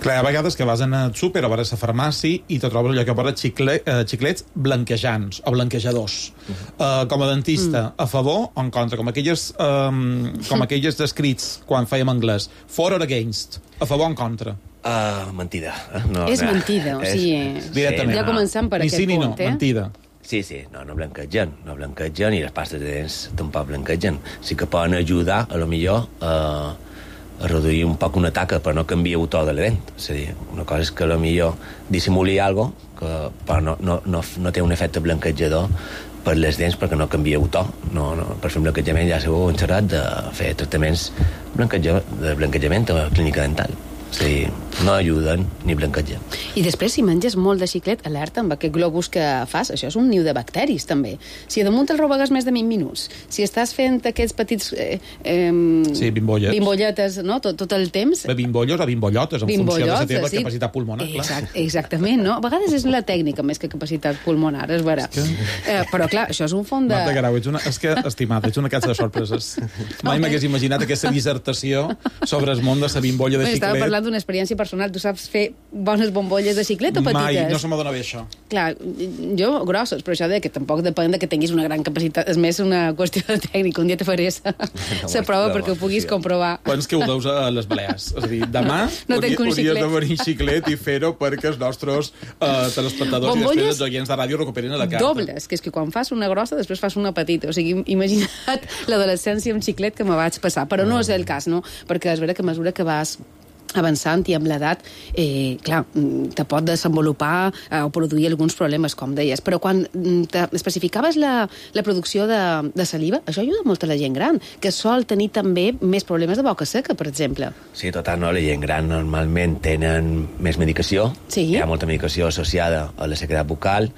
Clar, a vegades que vas al súper o vas a la farmàcia i te trobes allò que posa xiclets blanquejants o blanquejadors. Com a dentista, a favor o en contra? Com aquelles descrits quan fèiem anglès. For or against? A favor o en contra? Mentida. És mentida, o sigui... Directament. Ja començant per aquest punt, mentida. Sí, no blanquegen i les pastes de dents tampoc blanquegen. Sí que poden ajudar, a lo millor, a reduir un poc una taca, però no canvia el to de la dent. És a dir, una cosa és que a lo millor dissimuli alguna cosa, però no té un efecte blanquejador per les dents perquè no canvia el to. Per fer un blanquejament ja s'heu enxerrat de fer tractaments de blanquejament a la clínica dental. És a dir, no ajuden ni blanquegen. I després, si menges molt de xiclet, alerta amb aquest globus que fas, això és un niu de bacteris, també. Si damunt el robegues més de 20 minuts, si estàs fent aquests petits... sí, bimbolles. Bimbolletes, no?, tot el temps... Bimbolles o bimbollotes, en funció de la teva capacitat pulmonar. Exactament, no? A vegades és la tècnica més que capacitat pulmonar, és vera. Però, clar, això és un font de... Marta Guerau, és que, estimada, ets una casa de sorpreses. Mai m'hagués imaginat aquesta dissertació sobre el món de la bimbolla de xiclet. Estava parlant d'una experiència personal. Tu saps fer bones bombolles de xiclet o petites? Mai, no se m'adona bé això. Clar, jo grosses, però això que tampoc depèn de que tinguis una gran capacitat. És més una qüestió de tècnica. Un dia te faré la prova perquè ho puguis comprovar. Quants que ho deus a les Balears? És a dir, demà hauries de venir xiclet i fer-ho perquè els nostres telespectadors i després els oients de ràdio recuperin a la carta. Dobles, que és que quan fas una grossa després fas una petita. O sigui, imagina't l'adolescència amb xiclet que me vaig passar. Però no és el cas, no? Perquè és vera que a mesura que vas avançant i amb l'edat, clar, te pot desenvolupar o produir alguns problemes, com deies. Però quan especificaves la producció de saliva, això ajuda molt a la gent gran, que sol tenir també més problemes de boca seca, per exemple. Sí, total, no? La gent gran normalment tenen més medicació. Sí. Hi ha molta medicació associada a la sequedat bucal.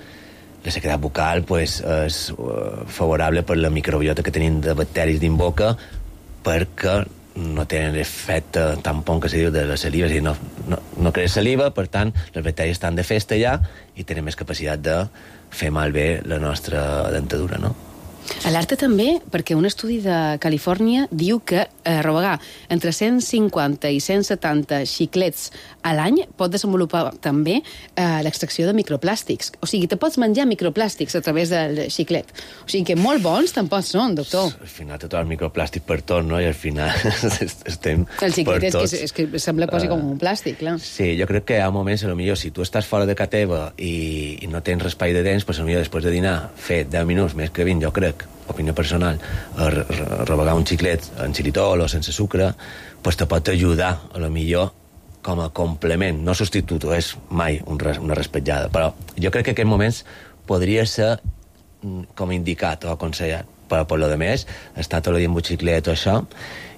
La sequedat bucal és favorable per la microbiota que tenim de bacteris dins boca, perquè no tenen l'efecte tampon que se diu de la saliva, és a dir, no crea saliva, per tant, les bacteris estan de festa ja i tenen més capacitat de fer malbé la nostra dentadura, no? Alerta també perquè un estudi de Califòrnia diu que rovegar entre 150 i 170 xiclets a l'any pot desenvolupar també l'extracció de microplàstics. O sigui, te pots menjar microplàstics a través del xiclet. O sigui que molt bons tampoc són, doctor. Al final tot el microplàstic per tot, no? I al final estem el xiclet per tots. És que sembla quasi com un plàstic, clar. Sí, jo crec que hi ha moments, potser, si tu estàs fora de casa teva i no tens raspall de dents, potser després de dinar, fer 10 minuts, més que 20, jo crec, opinió personal, a rovegar un xiclet en xilitol o sense sucre, pues te pot ajudar, a lo millor, com a complement, no substitueix mai una raspallada, però jo crec que en aquests moments podria ser com indicat o aconsellat, però per lo de més, està tot el dia amb un xiclet o això,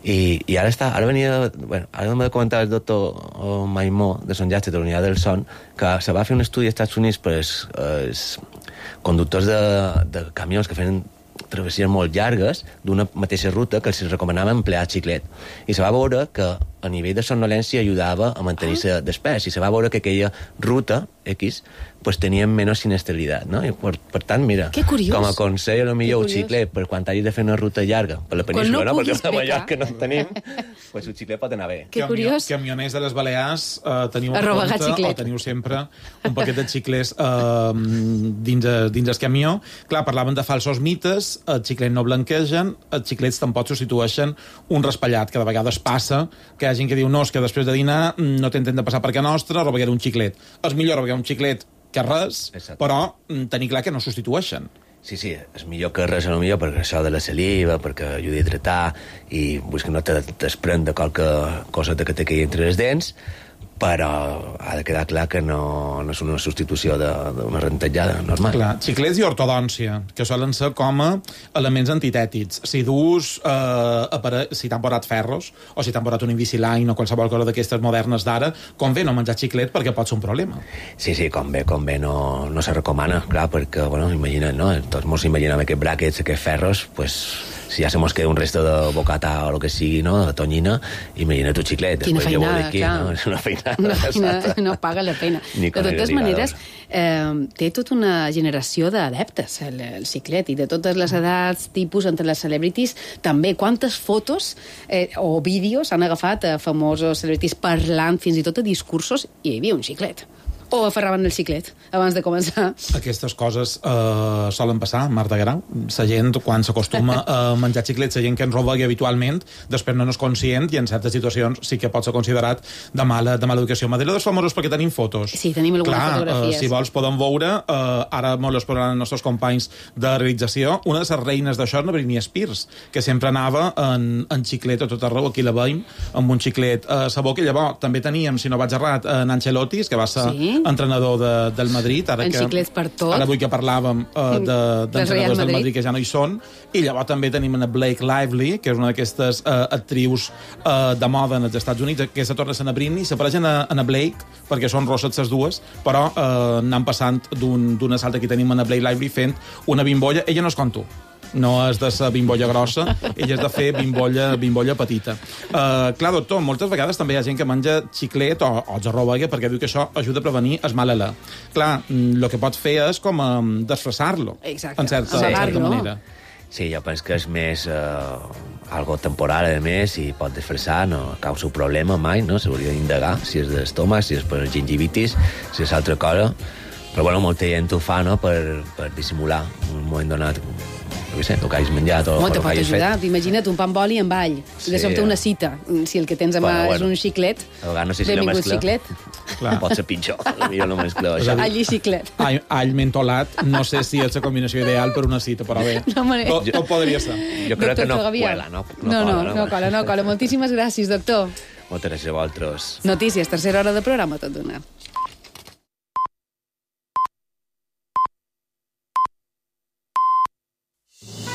i ara m'ha de comentar el doctor Maimó de Son Llàstic de la Unitat del Son que se va fer un estudi als Estats Units per els conductors de camions que feien travessies molt llargues d'una mateixa ruta que els recomanava emplear xiclet. I se va veure que a nivell de somnolència ajudava a mantenir-se despert. I se va veure que aquella ruta X pues tenia menys sinestralitat, no? I per tant, mira, com a consell, potser un xiclet, per quan hagis de fer una ruta llarga per la península, no? Perquè a Mallorca no en tenim, pues un xiclet pot anar bé. Que curiós. Camioners de les Balears teniu en compte, o teniu sempre un paquet de xiclets dins el camió. Clar, parlaven de falsos mites, els xiclets no blanquegen, els xiclets tampoc substitueixen un raspallat, que de vegades passa que hi ha gent que diu, no, és que després de dinar no t'intent de passar per casa nostra, roveguer un xiclet. És millor roveguer un xiclet que res, exacte, però tenir clar que no substitueixen. Sí, és millor que res, millor, perquè això de la saliva, perquè ajuda a hidratar i vull que no te desprèn de qualque cosa que te quedi entre les dents, però ha de quedar clar que no és una substitució d'una rentejada normal. Clar, xiclets i ortodòncia, que solen ser com a elements antitètics. Si dus, si t'han posat ferros, o si t'han posat un Invisalign o qualsevol cosa d'aquestes modernes d'ara, convé no menjar xiclet perquè pot ser un problema. Sí, convé no se recomana, clar, perquè, imagina't, no? Tots mos imaginem aquests bràquets, aquests ferros, pues, si ja se mos queda un resto de bocata o el que sigui, no?, de tonyina, imagina't un xiclet. Quina feinada, clar. No? És una feinada. No paga la pena. De totes maneres, té tota una generació d'adeptes, el xiclet, i de totes les edats, tipus, entre les celebrities, també. Quantes fotos o vídeos han agafat a famosos celebrities parlant fins i tot a discursos i hi havia un xiclet? O aferraven el xiclet abans de començar. Aquestes coses solen passar, Marta Guerau. La gent, quan s'acostuma a menjar xiclets, la gent que ens roba habitualment, després no és conscient i en certes situacions sí que pot ser considerat de mala educació. Madera dels famosos perquè tenim fotos. Sí, tenim algunes fotografies. Si vols podem veure, ara molt les posaran els nostres companys de realització, una de les reines d'això és la Britney Spears, que sempre anava en xiclet a tot arreu, aquí la veiem, amb un xiclet a la boca, i llavors també teníem, si no vaig errat, en Ancelotti, que va ser entrenador del Madrid, ara avui que parlàvem d'entrenadors del Madrid que ja no hi són, i llavors també tenim a Blake Lively, que és una d'aquestes actrius de moda als Estats Units, que se torna a ser a Britney, s'apareixen a Blake, perquè són rosses les dues, però anant passant d'una salta. Aquí tenim a Blake Lively fent una bimbolla, ella no és com tu, no és de ser bimbolla grossa, ella és de fer bimbolla petita. Clar, doctor, moltes vegades també hi ha gent que menja xiclet o xarrobaga perquè diu que això ajuda a prevenir el mal alè. Clar, el que pots fer és com desfressar-lo, en certa manera. Sí, jo penso que és més algo temporal, a més, i pot desfressar, no causa un problema mai, no? S'hauria d'indagar si és d'estómac, si és per gingivitis, si és altra cosa. Però, bueno, molta gent ho fa, no?, per dissimular un moment donat, no sé, el que hagis menjat o el que hagis fet. Imagina't un pa amb oli amb all, de sobte una cita. Si el que tens a mà és un xiclet, no sé si benvingut xiclet. Pot ser pitjor, potser no mescleu això. All i xiclet. All mentolat, no sé si és la combinació ideal per una cita, però bé, tot podria ser. Jo crec que no cuela, no cola. Moltíssimes gràcies, doctor. Moltes gràcies a vosaltres. Notícies, tercera hora de programa, tot d'una.